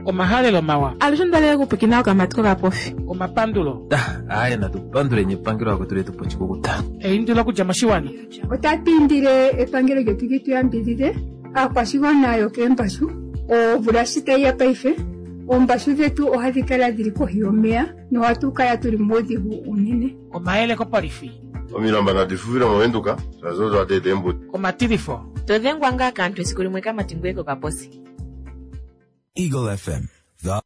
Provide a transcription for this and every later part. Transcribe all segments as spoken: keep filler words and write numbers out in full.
Omahalelo mawa. Alushe ondalele okupwiikina okamati kokapofi. Omapandulo. Aaye natupanduleni epangelo lakwetu letu pochikukuta. Eindilo okudja moshiwana. Otatu indile epangelo lyetu li tu yambidhidhe aakwashigwana yokeembashu. Omvula shi tayi ya paife, oombashu dhetu ohadhi kala dhili kohi yomeya nohatu kala tuli muudhigu unene. Omayele kopolifi. Omilamba nadi fufile movenduka shaashi odo hadi eta eembuto. Omatilifo. To dhengwa ngaa kaantu esiku limwe kamati ngoye kokaposi. Eagle F M. The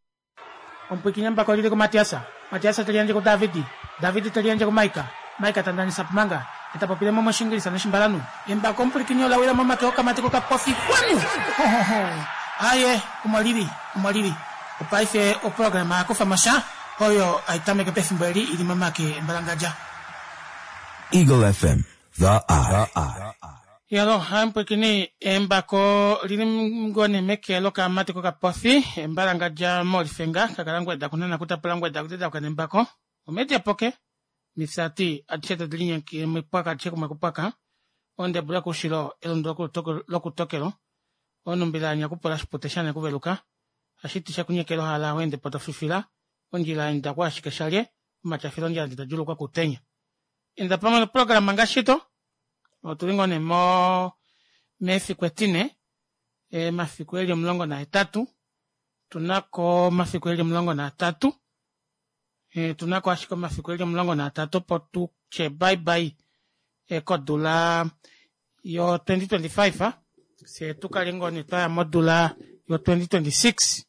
Omupwiikini mbako lili kuMatiasa. Matiasa te liyandje kuDavidi. Davidi te liyandje kuMaika. Maika ta ndanisa pumanga. Eta popile mo moshingilisa noshimbalanu. Embako omupwilikini ola wila momake okamati kokapofi. Kwanu! Ho, ho, ho. Aye, omo lili, omo lili. Opaife oprograma ya kufa mo sha oyo ai tameke pefimbo eli ili momake embalangadja. Eagle F M, the eye. Yalo, hai mupwilikini, embako lili ngone meke lokamati kokapofi, embalangadja molifenga, kakala ngweda kunana kutapula ngweda kuteta kukana embako. Omedia poke, mifyati adishe tadi linyenke mipwaka adishe kumwe kupwaka, ondebula kushilo elundo lokutokelo, onumbila nyakupola shipute shane kuveluka, ashiti shakunyekelo hala wende potofifila, ondjila enda kwa ashike shalye, omachafilo ondjila ndita kutenya. Enda pamwe noprograma ngashito, otuli ngone mo mefiku etine, e, mafiku eli omulongo nahetatu, tunako mafiku eli omulongo naatatu, e, tunako ashike mafiku eli omulongo naatatu opo tutye bye bye e, kodula yo twenty twenty-five, se tukale ngone twaya modula yo twenty twenty-six,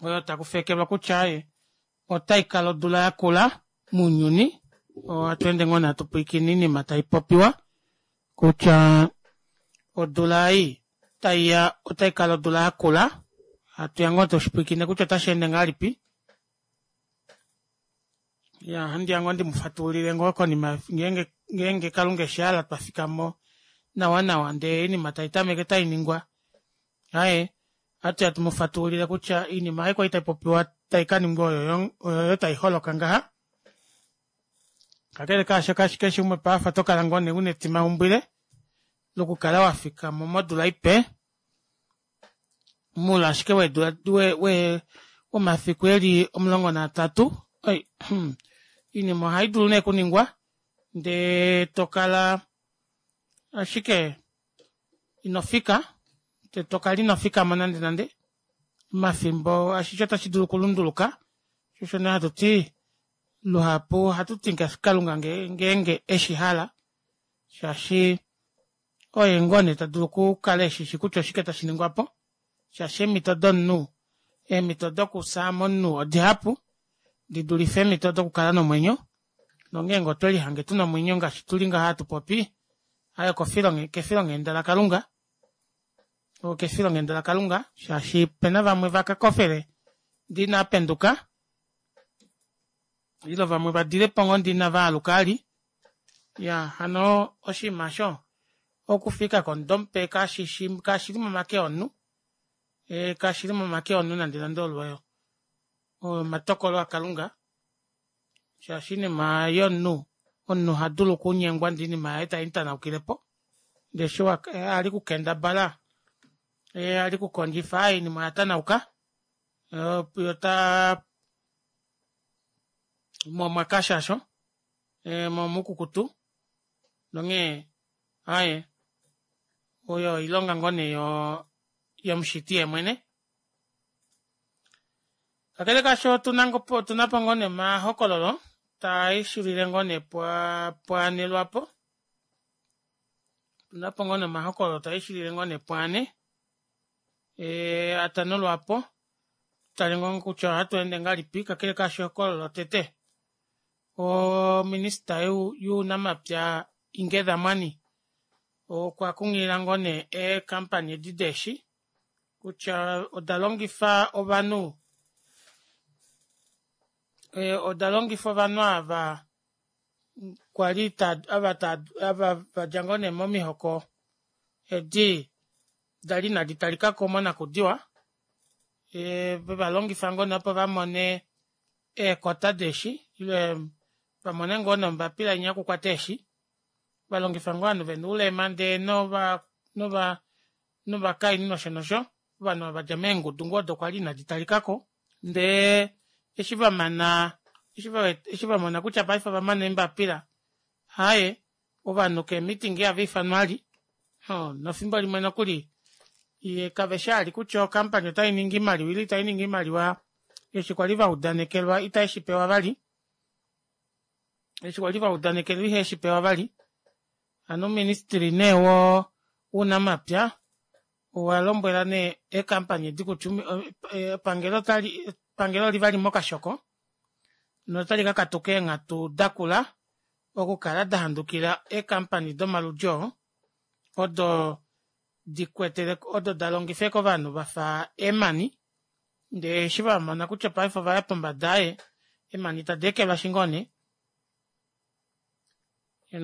oyo takufekelwa kutya e, otaikala odula yakula muunyuni. Ohatu ende ngoo natu pwiikine iinima tai popiwa kutya odula ei taiya otaikala odula yakula. Hatu ya ngoo toshipwiikine kutya otashi ende ngahelipi. Ya, handi ya ngoo ndimufatulile ngoo konima ngeenge ngeenge Kalunga eshi hala twafika mo nawa nawa ndee iinima tai tameke tai ningwa. Aye, hatu ya tumufatulile kutya iinima ei kwali tai popiwa tai ka ningwa oyo oyo tai holoka ngaha. Kakele kaasho kashike shimwe paafa tokala ngoo nee una etimaumbwile lokukala wafika mo modula ipe mula ashike weedula we we omafiku eli omulongo naatatu. Oi, iinima ohai dulu nee kuningwa ndee tokala ashike inofika te tokala inofika mo nande nande omafimbo ashishe otashi dulu okulunduluka. Shosho nee hatu ti luhapu ohatu ti ngaashi Kalunga ngeenge eshi hala, shaashi oye ngoo nee ta dulu okukala eshishi kutya oshike tashi ningwa po, shaashi eemhito domunhu, eemhito dokufya momunhu odihapu di dulife eemhito dokukala nomwenyo. Nongeenge otwe lihange tuna omwenyo ngaashi tuli ngaha hatu popi, aye kefilonghenda laKalunga, okefilonghenda laKalunga, shaashi pena vamwe vakakofele ndee inaapenduka, ilo vamwe vadile po ngoo ndee inava aluka ali. Ya, hano oshinima osho okufika komudo mupe kashili momake omunhu, e, kashili momake omunhu nande nande olwoyo. Omatokolo aKalunga, shaashi iinima yomunhu, omunhu oha dulu okunyengwa ndee iinima yaye tai mutanaukilepo, ndee eshi ali kukendabala, ali kukondjifa, iinima oya tanauka, yota momwakashasho, momukukutu, nonghee aye oyo oilonga ngoo nee yomushiti yemwene. Kakele kaasho otunapo ngoo nee omahokololo taishulile ngoo nee pwaane lwapo, otunapo ngoo nee omahokololo taishulile ngoo nee pwaane atano lwapo, tutale ngoo kutya ohatu ende ngahelipi. Kakele kaasho ehokololo lotete, ominista younamapya Inge Dhamwani okwa kunghilila ngoo nee eekampani edi deeshi kutya oda longifa ovanhu, oda longifa ovanhu ava kwali ava ava vadja ngoo nee momihoko edi dali inadi talikako monakudiwa, veva longifa ngoo nee opo vamone eekota deeshi ile vamone ngoo nee ombapila inya yokukwata eeshi, valongifa ngoo ovanhu vena oulema ndee nova novakainhu nosho nosho. Ovanhu vadja meengudu ngoo odo kwali inadi talikako ndee eshi vamana eshi vamona kutya paife ovamana eembapila aaye ovanhu kee meeting ihava ifanwa vali oo nefimbo limwe nokuli yee kaveshi vali kutya o company otainingi oimaliwa ile itainingi oimaliwa eshi kwali vaudanekelwa ita veshipewa vali eshi kwali vaudanekelwa iheveshipewa vali hano ouministry nee woo wounamapya owalombwela nee ee company edi kutya epangelo otali epangelo olili mokashoko notali kakatuka eenghatu dakula okukala dahandukila ee company domaludi oo odo dikwetele odo dalongifa ashike ovanhu vafa eemani ndee eshi vamona kutya paife ovaya pombada aaye eemani tadeekelwashi ngoo nee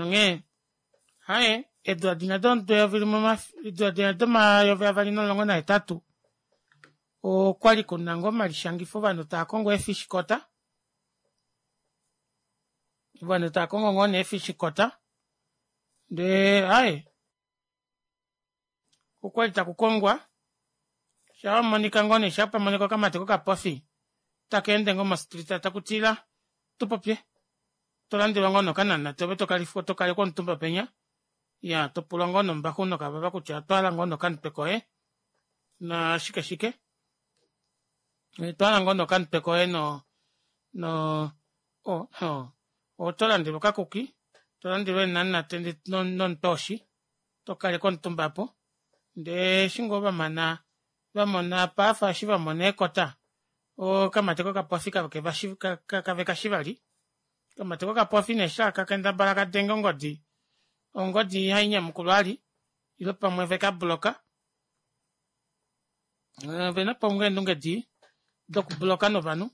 onghee aaye eedula dinya domudo eyovi limwe eedula domayovi avali nomulongo nahetatu okwali kuna ngoo omalishangifo ovanhu taakongo ee fish quota ovanhu taakongo ngoo nee ee fish quota ndee aaye okwali takukongwa shaamonika ngoo nee shaapamonika okamati kokapofi takeende ngoo mo street takuti ila tupopye tolandelwa ngoo nee okanamunate ove tokalekwa omutumba penya iyaa topulwa ngoo nee ombaxu nokavava kutya otwahala ngoo nee okamutwe koye naashike shike otwahala ngoo nee okamutwe koye no no oo otolandelwa okakuki tolandelwa eenamunate nomutwe woshi tokalekwa omutumba aapo ndee eshi ngoo vamana vamona apa eshi vamona eekota okamati kokapofi kavekashi vali okamati kokapofi nee eshi taka kendabala kadenge ongodi ongodi ihainyamukulwa vali ile pamwe veka block ovenapo ngoo eendunge dii doku block novanhu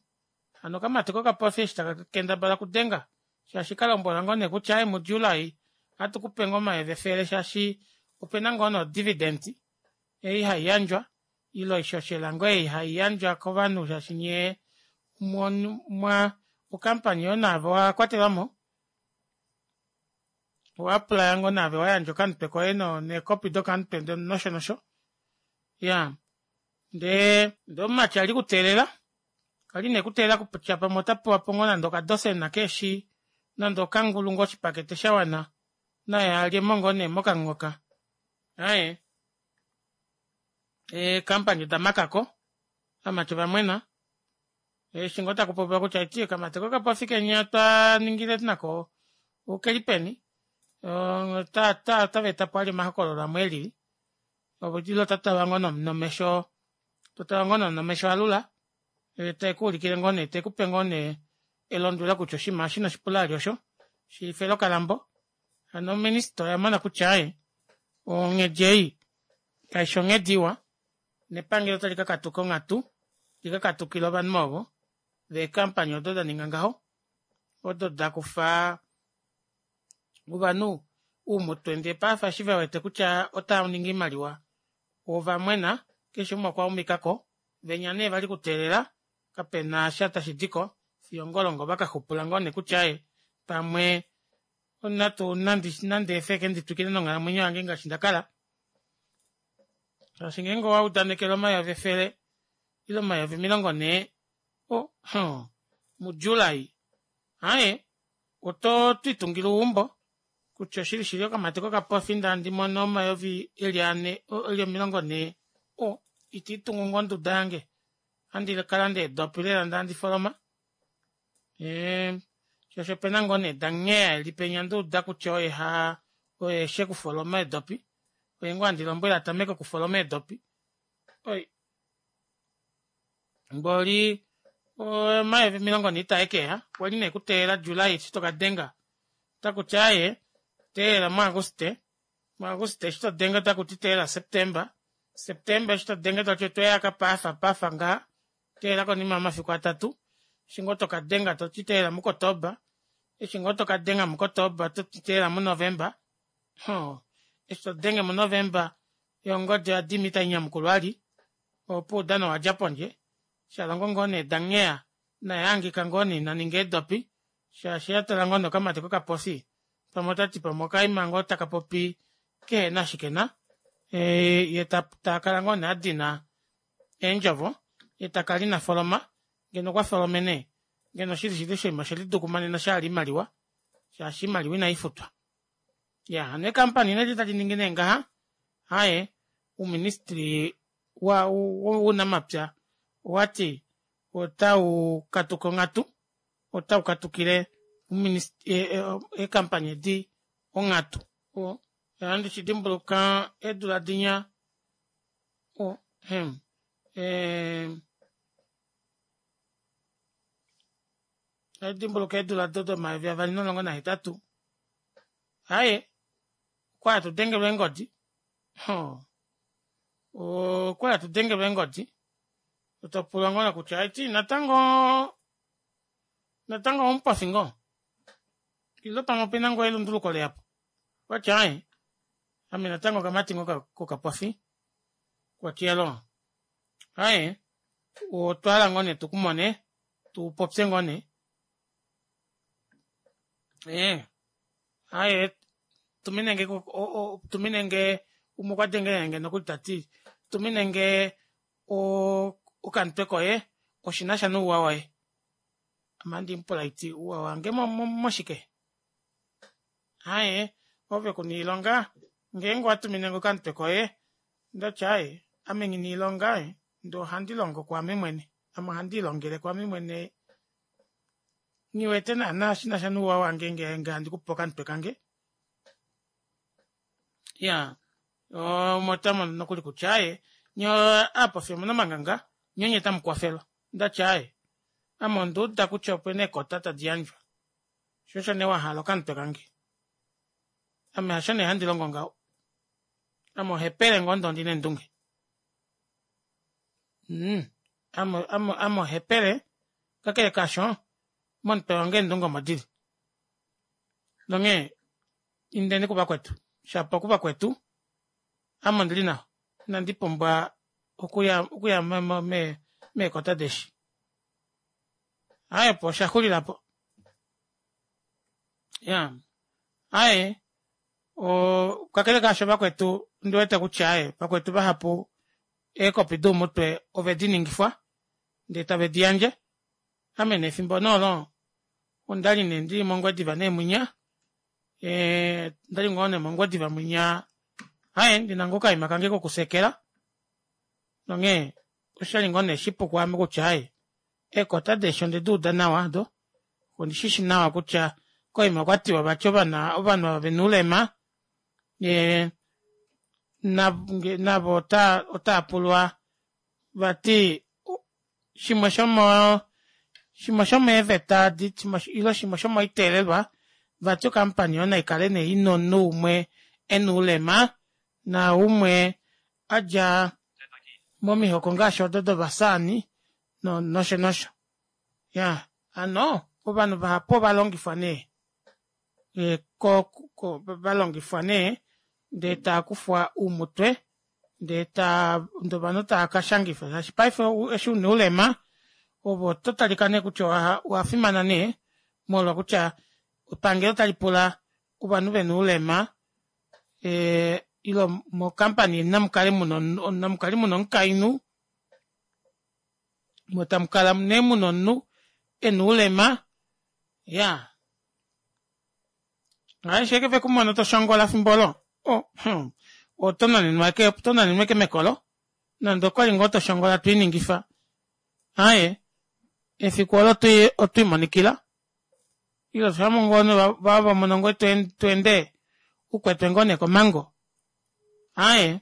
hano okamati kokapofi eshi taka kendabala okudenga shaashi kalombwelwa ngoo nee kutya aaye mu july ohatukupe ngoo omayovi efele shaashi opena ngoo nee o dividend ei haiyandjwa ile oishoshela ngoo ei haiyandjwa kovanhu shaashi nyee omwa o company yoye naave owakwatelwamo owa apply ngoo naave wayandja okamutwe koye nee copy dokamutwe nosho nosho iyaa ndee ndee omumati ali ekuteelela kwali nee ekuteelela kutya pamwe otapewapo ngoo nande okadosena keeshi nande okangulu ngoo oshipakete shawana naye alyemo ngoo nee mokamuhoka aaye ee company odamakako ovamati ovamwena eshi ngoo takupopiwa kutya okamati kokapofi kenya twaningile nako okeli peni ota veetapo vali omahokololo amwe elili ile otatalwa ngoo nomesho totalwa ngoo nee nomesho alula yetekuulikile ngoo nee tekupe ngoo nee elondwelo kutya oshinima eshi inoshipula vali osho shifela okalambo hano oministy oyamona kutya aaye onghedi ei kaifi onghedi iwa nepangelo otali kakatuka onghatu likakatukile ovanhu ovo vee company odo daninga ngaho odo dakufa ovanhu oumutwe ndee paife eshi vewete kutya otavaningi oimaliwa ovamwena keshe umwe okwa umikako venya nee vali ekuteelela kapenasha tashidiko fiyo ongolongo vakaxupula ngoo nee kutya aaye pamwe natu nandeefe ashike nditwikile nonghalamwenyo yange ngaashi ndakala shaashi ngeenge owaudanekelwa omayovi efele ile omayovi omilongo nhee oh oo mu july aaye oto twiitungile eumbo kutya oshili shili okamati kokapofi ndee handimono omayovi eli anhe eli omilongo nhee oo itiitungu ngoo onduda yange ohandi kalanda eedopi lela ndee handi foloma ee shaashi opena ngoo nee danghela eli penya ndauda kutya oye haa oye eshi okufoloma eedopi oye ngoo handi lombwele atameke okufoloma eedopi oi mboli omayovi omilongo nhee itaekeya okwali nee ekuteelela july eshi tokadenga otakuti aaye teelela mu auguste mu auguste eshi todenge otakuti teelela september september eshi todenge takuti otweya pafa pafa ngaha teelela konima yomafiku atatu eshi ngoo tokadenga toti teelela mu kotoba eshi ngoo tokadenga mukotoba ototi teelela mu november oo eshi todenge mu november yoo ongodi oyadima itainyamukulwa vali opuwo oudano owadja pondje shalongo ngoo nee dangheya naye ahangika ngoo nee inaninga eedopi shaashi atala ngoo nee okamati kokapofi pamwe otati pamwe okaima ngoo takapopi kehena eshi kena yee takala ngoo nee adina Eendjovo yetakala ina foloma ngeno okwa folomene ngeno shili shili oshinima oshelidukumanena shahala oimaliwa shaashi oimaliwa inaifutwa. Iyaa hano eecompany nee edi tadi ningi nee ngaha aaye ouministry wounamapya owati ota ukatuka onghatu ota ukatukile eecompany edi onghatu. Ohandi shidimbuluka eedula dinya oh hem ee ohaidimbuluka eedula odo domayovi avali nomulongo nahetatu aaye okwali hatu dengelwa eengodi hoo okwali hatu dengelwa eengodi topulwa ngoo nee kutya haiti natango natango oumupofi ngoo ile pamwe opena ngoo elunduluko leyapo okwati aaye ame natango okamati ngoo kokapofi okwati iyaloo aaye otwahala ngoo nee tukumone tupopye ngoo nee ee aaye tuminenge tuminenge umwe okwadengelenge nokuli tati tuminenge okamutwe koye oshinasha nouwa woye ame ohandi mupula haiti ouwa wange moshike aaye ove kuna oilonga ngeenge owatuminenge okamutwe koye ondati aaye ame nghina oilonga ndee ohandi longo kwaame mwene ame ohandiilongele kwaame mwene nghiwete naana shinasha nouwa wange ngenge handi kupe okamutwe kange iyaa umwe otamono nokuli kutya aaye nyee aapofi omuna omanganga nyee onye tamukwafelwa ondati aaye ame onduuda kutya opena eekota tadi yandjwa shoo osho nee wahala okamutwe kange ame hasho nee handi longo ngaho ame ohepele ngoo ndee ondina eendunge mhh ame ame ohepele kakele kaasho momutwe wange eendunge omo dili nonghee indeni kuvakwetu shapo kuvakwetu ame ondili nawa ina ndipumbwa okuya meekota deeshi aaye opo oshaxulilapo iyaa aaye oo kakele kaasho vakwetu ondiwete kutya aaye vakwetu vahapu eekopi doumutwe ovediningifwa ndee tave diyandje ame nee efimbo nee olo ondali nee ndili mongwediva nee munya ee ondali ngoo nee mongwediva mwinya aaye ndina ngoo okaima kange kokuseekela nonghee oshali ngoo nee shipu kwaame kutya aaye eekota deeshi ondeduuda nawa aado ondishishi nawa kutya koima okwatiwa vati ovanhu ava vena oulema ee navo otaapulwa vati shimwe shomoo shimwe shomeeveta edi ile shimwe shomoiteelelwa vati o company aayo naikale nee ina omunhu umwe ena oulema naumwe adja momihoko ngaashi odo dovasaani nosho nosho iyaa hano ovanhu vahapu ovalongifwa nee valongifwa nee ndee taakufwa oumutwe ndee ovanhu taakashangifwa shaashi paife eshi una oulema ove oto talika nee kutya owafimana nee molwo kutya epangelo otalipula ovanhu vena oulema ile mo company namukale muna omukainhu moo tamukala nee muna omunhu ena oulema iyaa aaye eshi ashike vekumono toshongola efimbo oolo oo hmm oto nanenwa ashike mekolo nande okwali ngoo toshongola twiiningifa aaye efiku oolo otwiimonikila ile vamono ngoo tweende ukwetwe ngoo neekomango aaye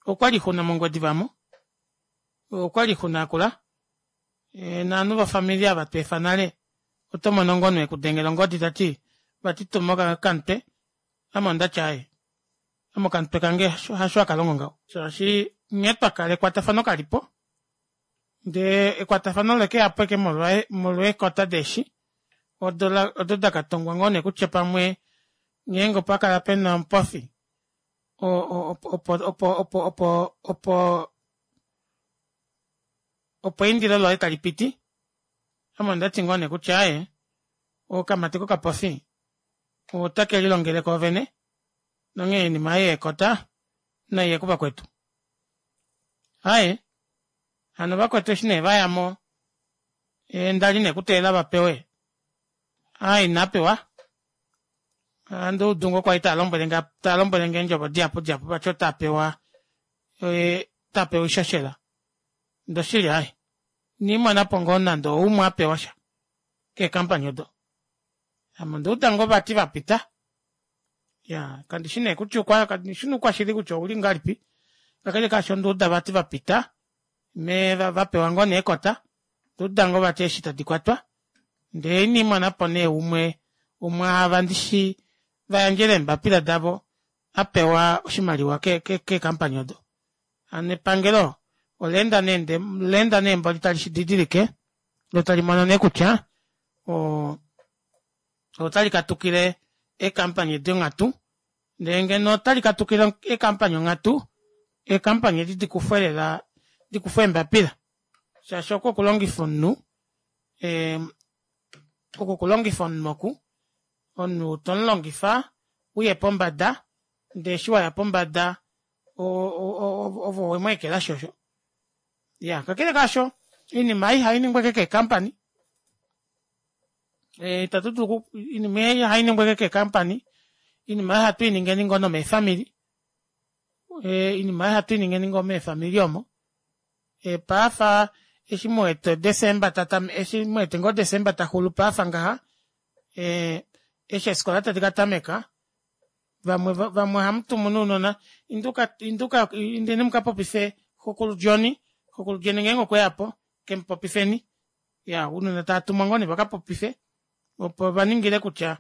okwali oixuna mongwediva aamo okwali oixuna yakula novanhu vofamili aava tweefa nale otomono ngoo omunhu ekudengela ongodi tati vati tuma okamutwe ame ondati aaye ame okamutwe kange hasho hakalongo ngaho shaashi nghee twakala ekwatafano kalipo ndee ekwatafano olekeyapo ashike molwa eekota deeshi odo dakatongwa ngoo nee kutya pamwe ngeenge opakala pena omupofi opo opo opo opo opo eindilo loye talipiti ame ondati ngoo nee kutya aaye okamati kokapofi ota kelilongele koovene nonghee oinima ei yeekota naiye kuvakwetu aaye Hano vakwetu eshi nee vayamo ndali nee kuteelela vapewe aaye inaapewa ohanduudu ngoo kwali taalombwelenge taalombwelenge eendjovo dihapu dihapu vati otaapewa otapewa oishoshela ndee oshili aaye inandimonapo ngoo nande oumwe apewasha kee company odo ame ondauda ngoo vati vapita iyaa kandishi nee kutya kandishi oukwashili kutya ouli ngahelipi kakele kaasho ondauda vati vapita vapewa ngoo nee eekota onda uda ngoo vati eeshi tadikwatwa ndee ina ndimonapo nee umwe womwaava ndishi vayandjele eembapila davo apewa oshimaliwa ke ke company odo hano epangelo oleenda nee mboli tali shididilike loo talimono nee kutya oo otali katukile ee company edi onghatu ndee ngeno otali katukile ee company onghatu ee company edi dikufwe lela dikufwe eembapila shaashi oko okulongifa omunhu ee oko okulongifa omunhu oku omunhu tomulongifa uye pombada ndee eshi waya pombada ove owemweekelashi osho iyaa kakele kaasho oinima ei ihainingwa ashike kee company ita tudulu oinima ei ihainingwa ashike kee company oinima ei ohatuiningeni ngoo nomeefamili oinima ei ohatuiningeni ngoo meefamili omo paife eshi muwete december eshi muwete ngoo december taxulu paife ngaha eshi eefikola tadi katameka vamwe vamwe ohamutumu nee ounona indeni mukapopife xekulu john xekulu john ngeenge okweyapo kemupopifeni iyaa ounona taatumwa ngoo nee vakapopife opo vaningile kutya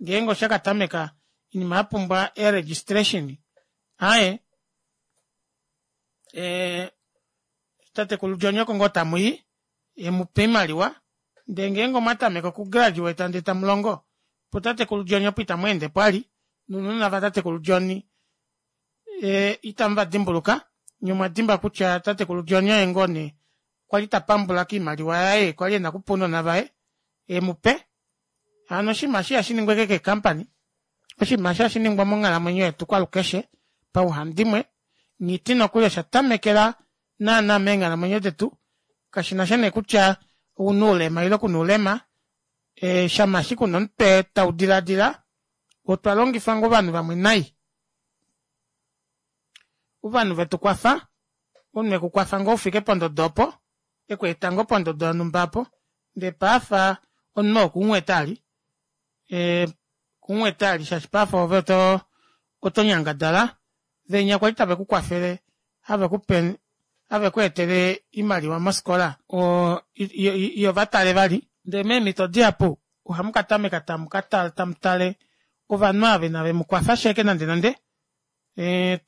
ngeenge oshakatameka oinima yapumbwa ee registration aaye ee tatekulu john oko ngoo tamuyi emupe oimaliwa ndee ngeenge omwatameke oku graduate ndee tamulongo putatekulu john opo itamweendepo vali nounona vatatekulu john ita muvadimbuluka nyee omwadimbwa kutya tatekulu john oye ngoo nee kwali tapambula koimaliwa yaye kwali ena okupa ounona vaye emupe hano oshinima eshi ihashiningwa ashike kee company oshinima eshi ohashiningwa monghalamwenyo yetu kwalukeshe pauhandimwe nghiti nokuli osha tamekela naana meenghalamwenyo detu kashinasha nee kutya ouna oulema ile kuna oulema shama ashike una omutwe taudilaadila otwa longifa ngoo ovanhu vamwe nai ovanhu vetukwafa omunhu ekukwafa ngoo ufike pondodo opo ekweeta ngoo pondodo yonumba aapo ndee paife omunhu oo okumuwete vali okumuwete vali shaashi paife ove oto nyangadala venya kwali tave kukwafele havekupe havekweetele oimaliwa mofikola oo ihovatale vali ndee meemito dihapu ohamukatameka tamutale ovanhu ava inavemukwafa ashike nande nande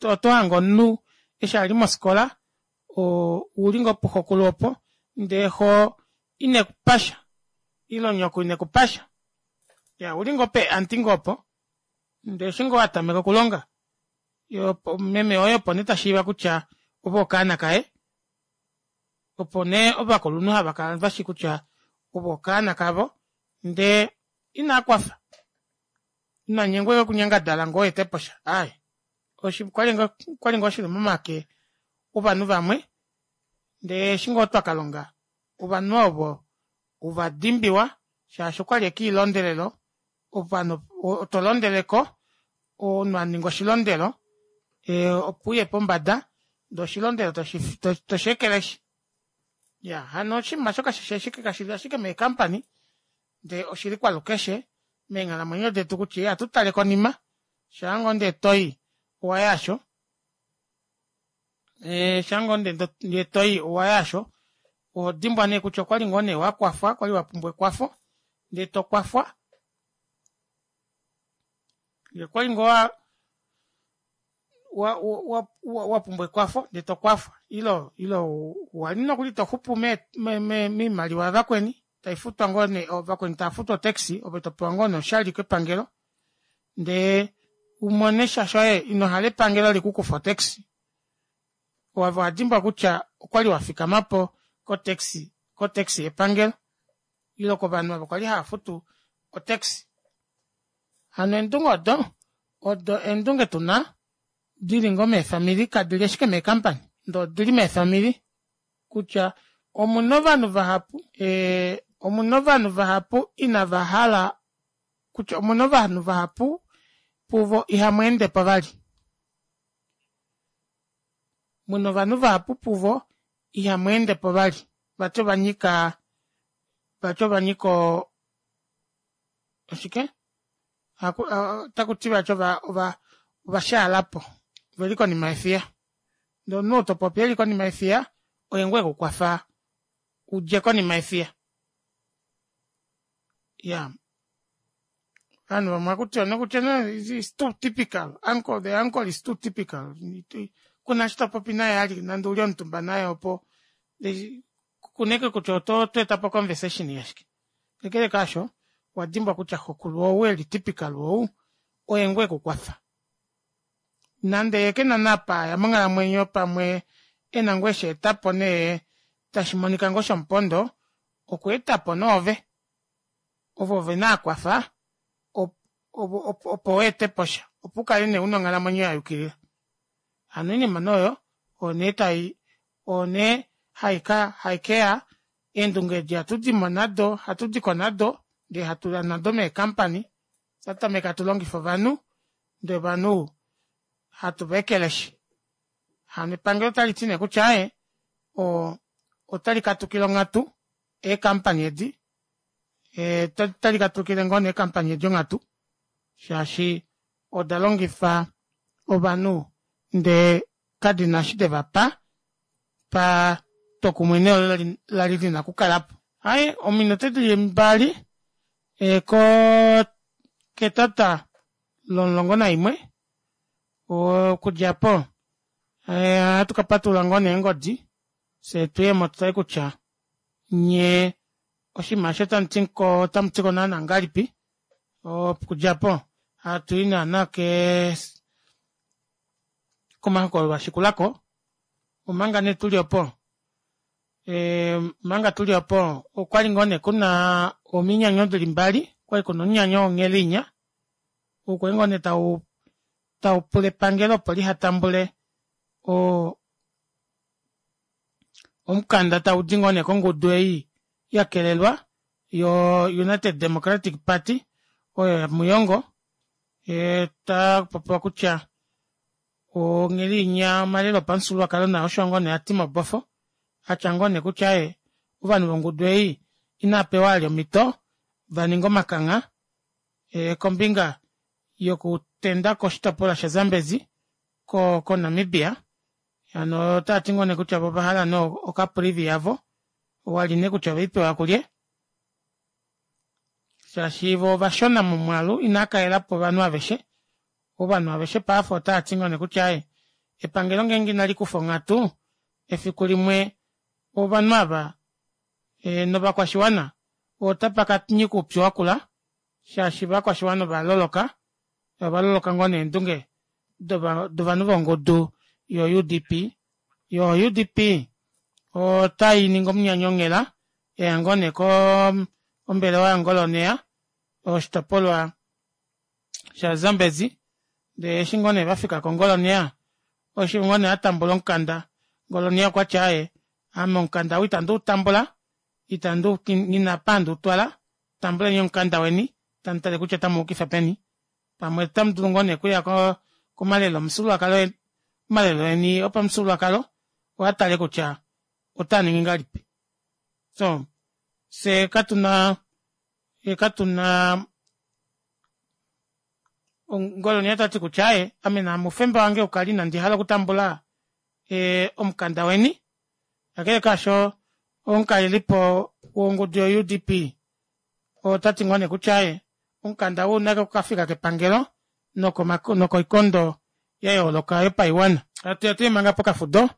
otohange omunhu eshi ali mofikola ouli ngoo puxokulu opo ndee xoo inekupasha ile nyoko inekupasha iyaa ouli ngoo pee aunty ngoo opo ndee eshi ngoo watameka okulonga meme woye opo nee tashiiva kutya ove okaana kaye opo nee ovakulunhu havakala veshi kutya ove okaana kavo ndee inakwafa inanyengwa ashike okunyangadala ngoo weeteposha aaye okwali ngoo shili momake ovanhu vamwe ndee eshi ngoo twakalonga ovanhu ovo ovadimbiwa shaashi okwali ashike oilondelelo ovanhu tolondeleko omunhu aninga oshilondelo opo uye pombada ndee oshilondelo tosheekeleshi iyaa hano oshinima aasho kashili ashike mee company ndee oshili kwalukeshe meenghalamwenyo detu kutya ihatutale konima shaangoo ndee toyi owaya aasho shaangoo ndee toyi owaya aasho ohodimbwa nee kutya okwali ngoo nee wakwafwa kwali wapumbwa ekwafo ndee tokwafwa okwali ngoo wa wapumbwa ekwafo ndee tokwafwa ile ile wali nokuli toxupu moimaliwa yavakweni taifutwa ngoo nee vakweni taafutu o taxi ove topewa ngoo nee oshali kepangelo ndee umonesha shoye inohala epangelo likukufe o taxi ove owadimbwa kutya okwali wafikamapo ko taxi ko taxi yepangelo ile kovanhu ovo kwali haafutu o taxi hano eendunge odo odo eendunge tuna dili ngoo meefamili kadili ashike mee company ndee odili meefamili. Kutya omuna ovanhu vahapu ee omuna ovanhu vahapu inava hala kutya omuna ovanhu vahapu puvo ihamweendepo vali muna ovanhu vahapu puvo ihamweendepo vali vati ovanyika vati ovanyika oo oshike otakuti vati ovashaalapo oveli konima yefiya ndee omunhu oo topopi eli konima yefiya oye ngoo ekukwafa udje konima yefiya iyaa ovanhu vamwe ohakutiwa nee is too typical the uncle is too typical kuna eshi topopi naye vali nande uli omutumba naye opo kuna ashike kutya otweetapo o conversation yashike kakele kaasho owadimbwa kutya xokulu ou eli typical ou oye ngoo ekukwafa nande yeekena nee apa aya monghalamwenyo pamwe ena ngoo eshi aetapo nee tashimonika ngoo shomupondo okweetapo nee ove ove nee akwafa opo weeteposha opo ukale nee una onghalamwenyo yayukilila hano oinima nee oyo oyo nee tai oyo nee haikeya eendunge edi ohatudimo nado ohatudiko nado ndee hatuya nado mee company fyee hatutameke hatu longifa ovanhu ndee ovanhu hatu vaekeleshi hano epangelo otaliti nee kutya aaye oo otali katukile onghatu ee company edi otali katukile ngoo nee eecompany edi onghatu shaashi odalongifa ovanhu ndee kadina eshi devapa patwokumwe neelo lali lina okukalapo aaye ominute dili mbali ketata lomulongo naimwe okudja aapo ohatu kapatulula ngoo nee eengodi fyee tuyemo tutale kutya nyee oshinima eshi otamutiko naana ngahelipi okudja aapo hatui naana kee komahokololo ashikulako omanga nee tuli opo omanga tuli opo okwali ngoo nee kuna ominyanyo dili mbali okwali kuna omunyanyo wonghelinya ou kwali ngoo nee taupula epangelo opo lihatambule oo omukanda taudi ngoo nee kongudu ei yakelelwa yo united democratic party oyo yamuyongo otakupopiwa kutya onghelinya omalelo opamufyuululwakalo nao osho ngoo nee ati mobofo atya ngoo neekutya aaye ovanhu vongudu ei inaapewa vali omito vaninge omakangha kombinga yokutendako oshitopolwa sha zambezi ko namibia hano otaati ngoo nee kutya voo ovahala nee ocaprivi yavo wali nee kutya oveipewa kulye shaashi voo ovashona momwaalu inaakalelapo ovanhu aveshe ovanhu aveshe paife otaati ngoo neekutya aaye epangelo ngeenge inalikufa onghatu efiku limwe ovanhu aava novakwashiwana otapaka nyika oupyu wakula shaashi ovakwashiwana ovaloloka ovaloloka ngoo nee endunge dovanhu vongudu yo U D P yoo U D P otainingi omunyanyo onghela yaya ngoo nee kombelewa yangoloneya woshitopolwa sha zambezi ndee eshi ngoo nee vafikako ngoloneya eshi ngoo nee atambula omukanda ngoloneya okwati aaye ame omukanda ou ita nduutambula nghina apa handi utwala tambuleni omukanda weni tamutale kutya otamuuyukifa peni pamwe otamudulu ngoo nee okuya komalelo omufyuululwakalo omalelo eni opamufyuululwakalo oo atale kutya otaaningi ngahelipi soo fyee katuna fyee katuna ngoloneya tati kutya aaye ame oufemba wange oukale ina ndihala okutambula omukanda weni kakele kaasho omukalelipo wongudu yo U D P otati ngoo nee kutya aaye omukanda ou ouna okukafika kepangelo nokoikondo yayooloka yopaiwana hatuya tuye manga pokafudo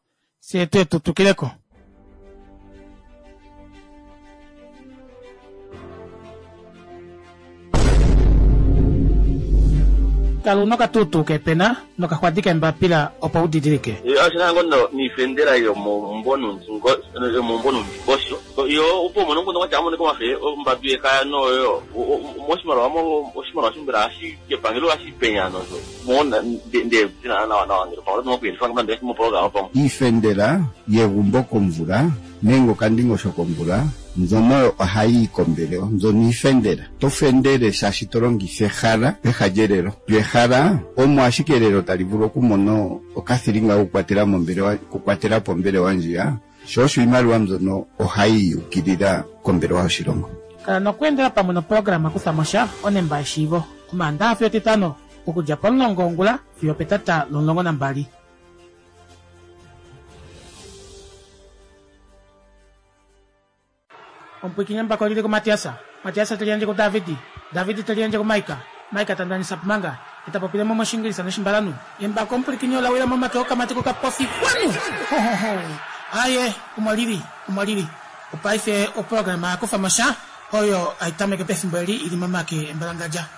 fyee tuye tutwikileko. Kala una okatuutuu kepena nokaxwadi kembapila opo udidilike. Ashina ngono niifendela yomombo nuundingosho yo opo mono ngono kwatya amone komafe ombadu yekaya noyo moshimaliwa mo oshimaliwa shimbela ashi kepangelo ashi penya nozo mona nde tina nawa nawa ngelo pangelo nokuyelifa ngamba mo program opo iifendela yegumbo komvula nenge okandingosho komvula mbyono ohayi kombelewa mbyono iifendela to fendele shaashi to longitha ehala peha lyelelo lyo ehala omo ashike elelo tali vulu okumona okathilinga okukwatela mombelewa okukwatela po ombelewa ndjiya sho osho iimaliwa mbyono ohayi ukilila kombelewa yoshilongo. Kala nokweendela pamwe noprograma kuthamo sha onemba yeshiivo omaandaxa fiyo etitano okudja pomulongo wongula fiyo petata lomulongo nambali. Omupwikinye mbako lili kuMatiasa, Matiasa teli yandje kuDavidi, Davidi teli yandje kuMaika, Maika tandanisa pumanga, eta popile mo moshingilisa noshimbalanu. Embako omupwikinye ola wila momake okamati kokapofi kwanu! Aye, omo lili, omo lili. Opaife oprograma yakufa mo sha oyo aitameke pefimbo eli ili momake embalangadja.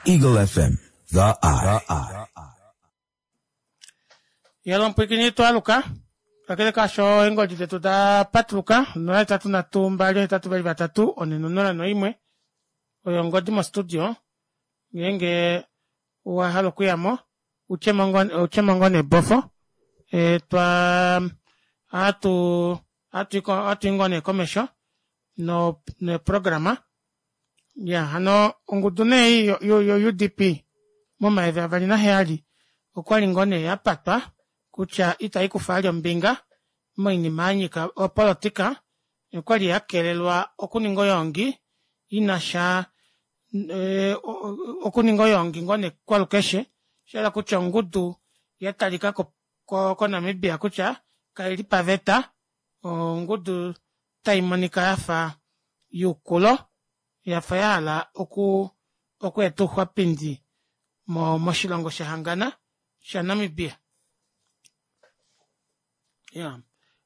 Eagle F M, The Eye. Yelo omupwikinye twaluka. Kakele kasho eengodi detu da patuluka nola hetatu nhatu mbali hetatu vali vatatu one nonola noimwe oyo ongodi mostudio ngeenge wahala okuyamo utyemo ngoo nebofo e, twa atu atu ngoo nee komesho no neprograma ya hano ongudu nee yo U D P momaeve avali naheyali okwali ngoo nee yapatwa kutya itai kufa ali ombinga moinima yanyika opolitika okwali yakelelwa okuninga oyongi inasha e, okuninga oyongi ngoo nekwalukeshe shala kutya ongudu yatalika ko, ko, koNamibia kutya kaili paveta ongudu tai monika yafa yukulo yafa yahala oku okweeta ouxwapindi mo moshilongo shahangana shaNamibia. Ya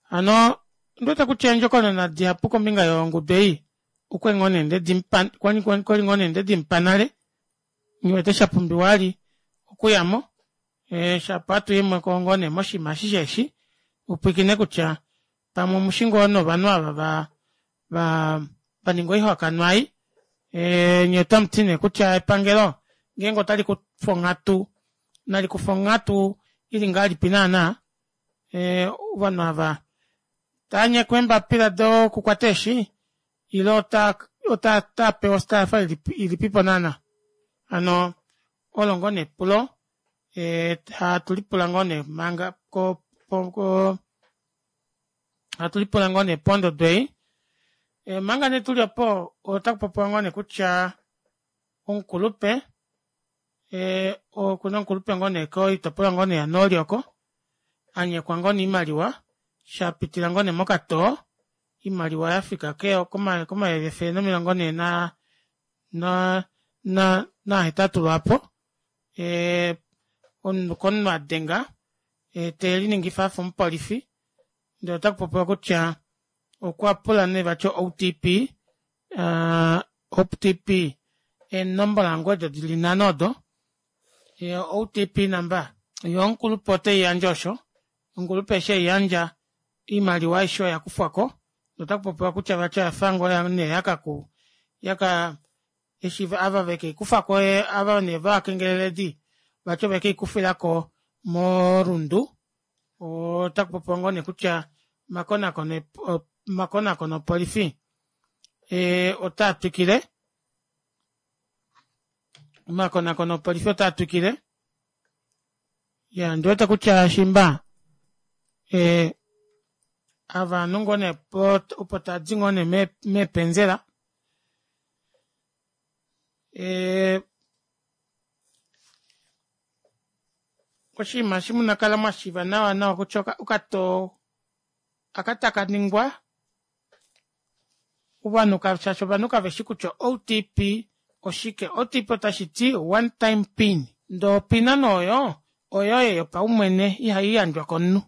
hano ndiwete kutya endjokonona dihapu kombinga yongudu ei okwali ngoo nee ndedimpa kwali ngoo nee ndedimpa nale ngiwete shapumbiwa ali okuyamo e, shapa atu imwe ko ngoo nee moshinima ashishe eshi upwikine kutya pamwe omushingo novanhu ava va va vaninga oihakanwa ei e, nye otamuti nee kutya epangelo ngeenge otali kufa onghatu nali kufa onghatu ili ngahelipi naana e, ovanhu ava tanyekwa eembapila dokukwata eeshi ile ota ota tapewa ostafa ilipipo naana hano olo ngoo nepulo e, hatulipula ngoo nee manga ko, ko, ko hatulipula ngoo nee pondodo ei e, manga nee tuli opo otakupopiwa ngoo nee kutya omukulupe e, okuna omukulupe ngoo nee koitopolwa ngoo nee yanooli oko anyekwa ngoo nee imaliwa shapitila ngoo nee mokatoo imaliwa yafika ke komayovi efele nomilongo nhee na na na nahetatu lwaapo e, omunhu komunhu adenga e, teliningifa afa omupolifi ndee otakupopiwa kutya okwa pula nee vati O T P uh, O T P eenomola ngoo edo dili nhano odo e, O T P number yo omukulupe oteiyandja osho omukulupe eshi eiyandja imaliwa aishe oya kufwako notakupopiwa kutya vati oyafa ngoo nee yakaku yaka eshi ava vekeikufako ava nee vakengeleledi vati ovekeikufilako morundu otakupopiwa ngoo nee kutya makonakono makonakono opolifi e, otaa twikile makonakono opolifi otaa twikile ya ndiwete kutya shimba e, ava ngoo nee opo tadi ngoo nee meepenzela e, oshinima eshi munakala mwashiiva nawa nawa kutya okatoo akataka ningwa ovanhu shaashi ovanhu kaveshi kutya O T P oshike. O T P otashi ti one time pin ndoo opina nooyo oyoye yopaumwene ihai yandjwa komunhu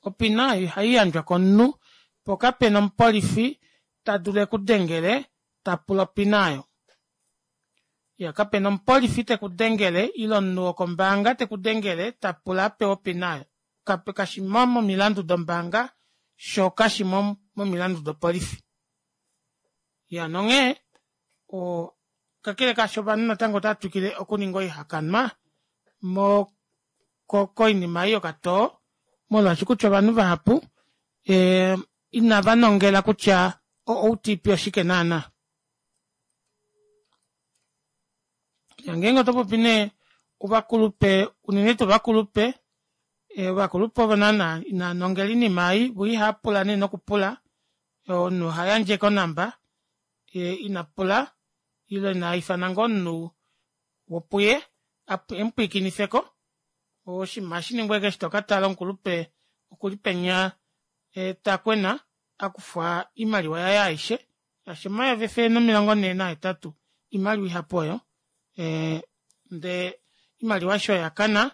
opina ihai yandjwa komunhu po kapena omupolifi ta dulu ekudengele ta pula opina ayo. Iya, kapena omupolifi tekudengele ile omunhu wokombaanga tekudengele tapula apewe opina aayo. Kape kashimo momilandu dombaanga shoo kashimo momilandu dopolifi. Iya nonghee oo kakele kaasho ovanhu natango otavatwikile okuninga oihakanwa mo koinima ei yokatoo molwaashi kutya ovanhu vahapu ee inava nongela kutya o O T P oshike naana. Ngeenge otopopi nee ovakulupe unene tuu ovakulupe ovakulupe ovo naana inaanongela oinima ei voo ihaapula nee nokupula omunhu ohayandje ashike onamba inapula ile ina ifana ngoo omunhu wopuye emupwiikinifeko oshinima ohashiningwa ashike eshi tokatala omukulupe okuli penya takwena akufwa oimaliwa yaye aishe shaashi omayovi efele nomilongo nhee nahetatu oimaliwa ihapu oyo ee ndee oimaliwa aishe oyo oyakana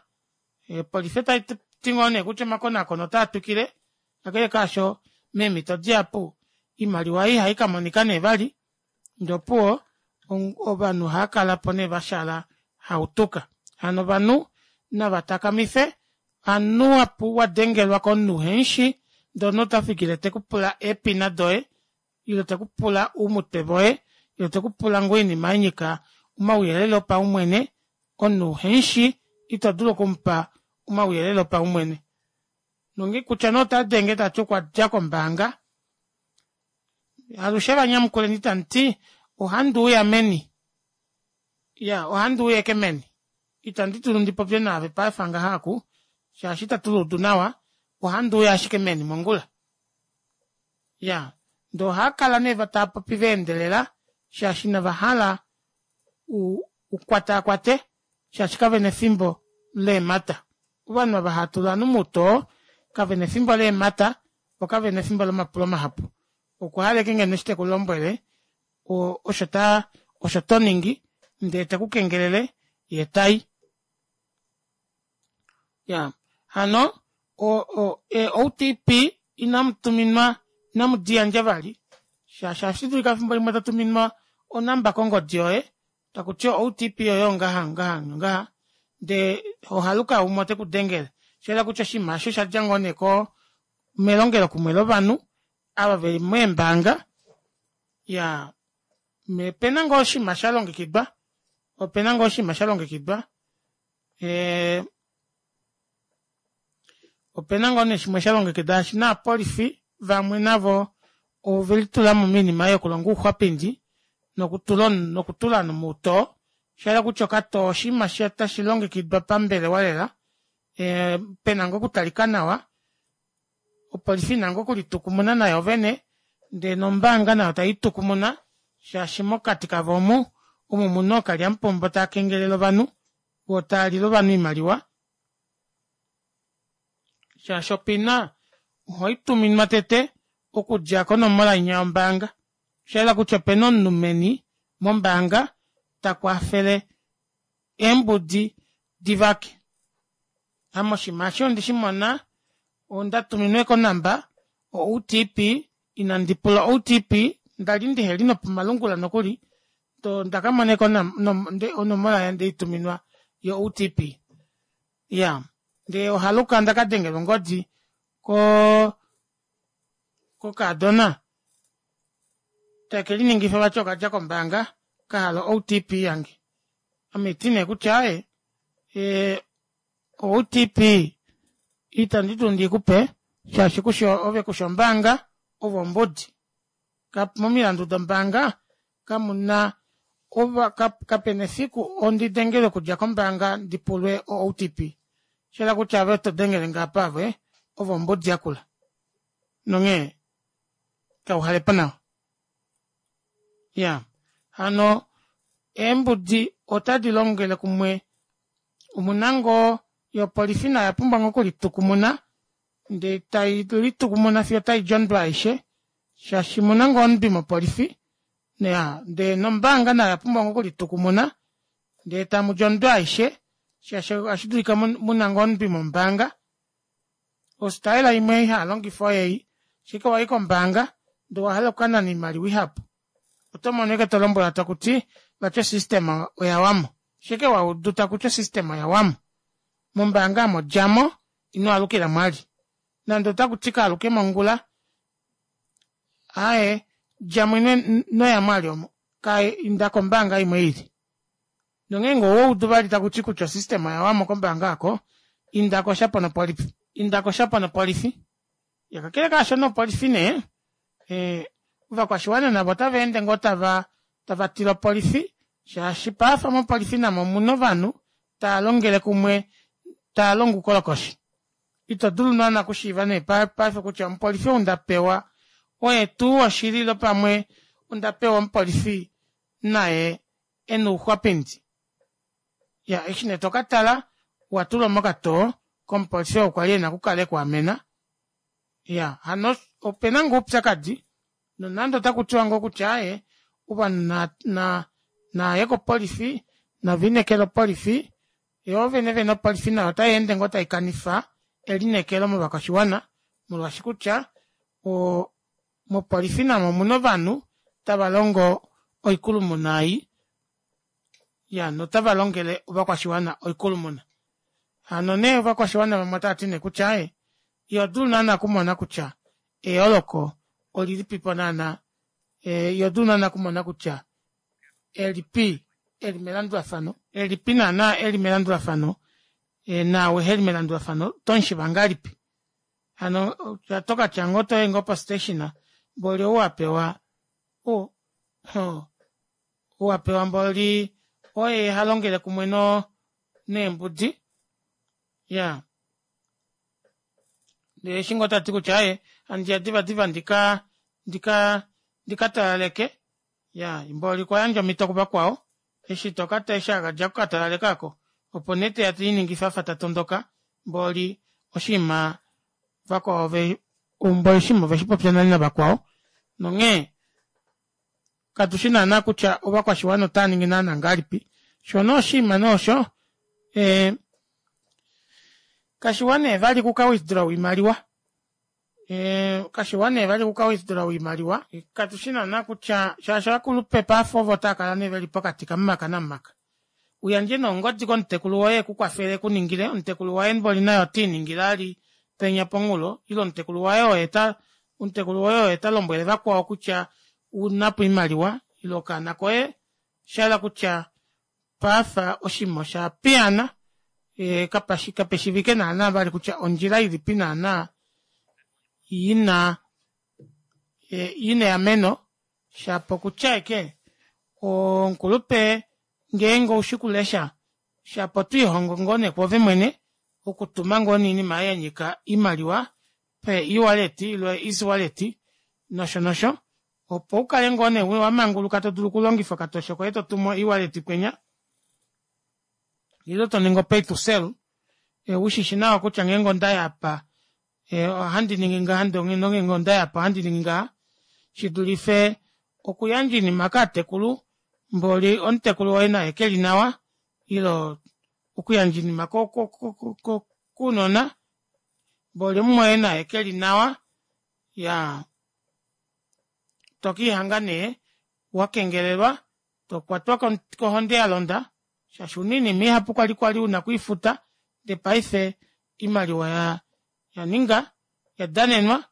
opolifi otaiti ngoo nee kutya omakonaakono otaatwikile kakele kaasho meemito dihapu oimaliwa ei ihaikamonika nee vali ndee opuwo ovanhu ohaakalapo nee vashaala hautuka hano ovanhu navatakamife hamunhu wadengelwa komunhu uhemushi ndee omunhu otafikile tekupula eepina doye ile tekupula oumutwe voye ile tekupula ngoo oinima yanyika omauyelele opaumwene omunhu uhemushi ito dulu okumupa omauyelele opaumwene nonge kutya nee otadenge tati okwadja kombaanga alushe vanyamukuleni tamuti ohanduuya meni iya ohanduuya ashike meni itandi dulu ndipopye naave paife ngaha aaku shaashi ita tuluudu nawa ohanduuya ashike meni mongula iya ndee ohaakala nee taapopi vaendelela shaashi inavahala ukwataakwate shaashi kavena efimbo leemata ovanhu ava hatula ovanhu moutoo kavena efimbo leemata voo kavena efimbo lomapulo mahapu okwahala ashike ngeno eshi tekulombwele osho taa osho toningi ndee tekukengelele yee tai iya hano o O T P inamutuminwa inamudiyandja vali shaashi ohashidulika efimbo limwe totuminwa onamba kongodi yoye takutiwa O T P yoye ongaha ongaha nongaha ndee ohaluka umwe otekudengele shayela kutya oshinima aasho oshadja ngoo nee ko melongelo kumwe lovanhu ava veli meembaanga iyaa opena ngoo oshinima shalongekidwa opena ngoo oshinima shalongekidwa ee opena ngoo nee shimwe shalongekidwa shaashi naapolifi vamwe navo ovelitulamo moinima ei yokulonga ouxwapindi nokutula nokutula ovanhu moutoo shayela kutya okatoo oshinima tashi longekidwa pambelewa lela ee pena ngoo okutalika nawa opolifi ina ngoo okulitukumuna nayo vene ndee nombaanga nayo taitukumuna shaashi mokati kavo omu omo muna ookalyamupombo taakengelele ovanhu voo taalile ovanhu oimaliwa shaashi opina ohaituminwa tete okudja konomola inya yombaanga oshayela kutya opena omunhu meni mombaanga takwafele eembudi divake ame oshinima eshi ondeshimona ondatuminwa konamba o O T P inandipula O T P ndali ndiheli nopomalungula nokuli ondakamona onomola ndeituminwa yo O T P iya ndee ohaluka ondakadengelwa ongodi ko kokadona tekeliningifwa vati okadja kombaanga kahala O T P yange ame haiti nee kutya aaye ee O T P itandi dulu ndikupe shaashi kushi ove kushi ombaanga ove ombudi momilandu dombaanga kamuna ova kapena efiku ondidengelwe okudja kombaanga ndipulwe o O T P shayela kutya ove todengelenge apa ove ove ombudi yakula nonghee kauhalepo nawa iya hano eembudi otadi longele kumwe omuna ngoo yopolifi nayo oyapumbwa ngoo okulitukumuna ndee tai litukumuna fiyo otaidi ondwi aishe shaashi omuna ngoo ondwi mopolifi ndee nombaanga nayo oyapumbwa ngoo okulitukumuna ndee tamudi ondwi aishe shaashi ohashidulika muna ngoo ondwi mombaanga ostaela imwe ihaalongifwa oyeyi ashike wayi kombaanga ndee owahala okukanana oimaliwa ihapu otomono ashike tolombwelwa takuti Vati osystem oya wamo. Shike wa udu takuti osystem oya wamo? Mombaanga amo djamo ino alukila mwali. Nande otakuti kaaluke mongula aaye djamo inoya mwali omo inda kombaanga imwe ili. Nongeenge owaudu vali takuti kutya osystem oya wamo kombaanga aako indako shapo nopolifi indako shapo nopolifi. Kakele kaasho nopolifi nee ee ovakwashiwana navo otavaende ngoo tava tavatile opolifi shaashi paife mopolifi namo omuna ovanhu taalongele kumwe taalongo oukolokoshi. Ito dulu naana okushiiva nee paife kutya omupolifi ou ndapewa oye tuu woshili ile pamwe ondapewa omupolifi naye ena ouxwapindi. Iya eshi nee tokatala owatulwa mokatoo komupolifi oo kwali ena okukala ekwaamena. Iya hano opena ngoo oupyakadi nonande otakutiwa ngoo kutya aaye ovanhu na naaye kopolifi naviinekele opolifi yoo vene vene opolifi nayo otayeende ngoo taikanifa elineekelo movakwashiwana molwaashi kutya oo mopolifi namo omuna ovanhu tava longo oikulumuna ei iya notava longele ovakwashiwana oikulumuna. Hano nee ovakwashiwana vamwe otavati nee kutya aaye ihodulu naana okumona kutya eyooloko olilipipo naana ihodulu naana okumona kutya elipi eli melandulafano elipi naana eli melandulafano naau eheli melandulafano otomushiiva ngahelipi. Hano tokatya ngoo toyi ngoo po station mboli ouapewa o ouapewa mboli oye halongele kumwe no neembudi iyaa ndee eshi ngoo tati kutya aaye handiya diva diva ndika ndika ndikatalaleke iya mboli okwayandja omito kuvakwao eshi tokata eshi akadja okukatalaleka aako opo nee teya teliningifa afa tatondoka mboli oshiima vakwao mboli oshinima oveshipopya nale navakwao nonghee katushi naana kutya ovakwashiwana otaaningi naana ngahelipi shoo nee oshinima nee osho ee kashiwa nee vali okuka withdraw oimaliwa ee kashiwa nee vali okuka withdraw oimaliwa katushi naana kutya shaashi ovakulupe paife ovo taakala nee veli pokati kamumaka namumaka. Uyandje nee ongodi komutekulu woye ekukwafele ekuningile omutekulu waye mboli naye otiiningile ali penya ponghulo ile omutekulu waye oye ta omutekulu woye oye talombwele vakwao kutya ounapo oimaliwa ile okaana koye oshahala kutya paife oshinima osha piyaana ee kapeshiivike naana vali kutya ondjila ilipi naana ina ina eameno shapo okutya ashike omukulupe ngeenge oushi okulesha shapo otwiihongo ngoo nee kwoove mwene okutuma ngoo nee oinima aayo yanyika oimaliwa pe ewallet ile easy wallet nosho nosho opo ukale ngoo nee wamanguluka todulu okulongifa okatoshe koye totumu ewallet kwenya ile toningi o pay to sell ushishi nawa kutya ngeenge ondaya apa ohandi ningi ngaha nongeenge ondaya apa ohandi ningi ngaha shidulife okuyandja oinima kaatekulu mboli omutekulu woye naye keli nawa ile okuyandja oinima kounona mboli omumwoye naye keli nawa iyaa tokiihanga nee wakengelelwa tokwatwa kohonde yalonda shaashi ouna oinima ihapu kwali kwali una okwiifuta ndee paife oimaliwa yaninga yadanenwa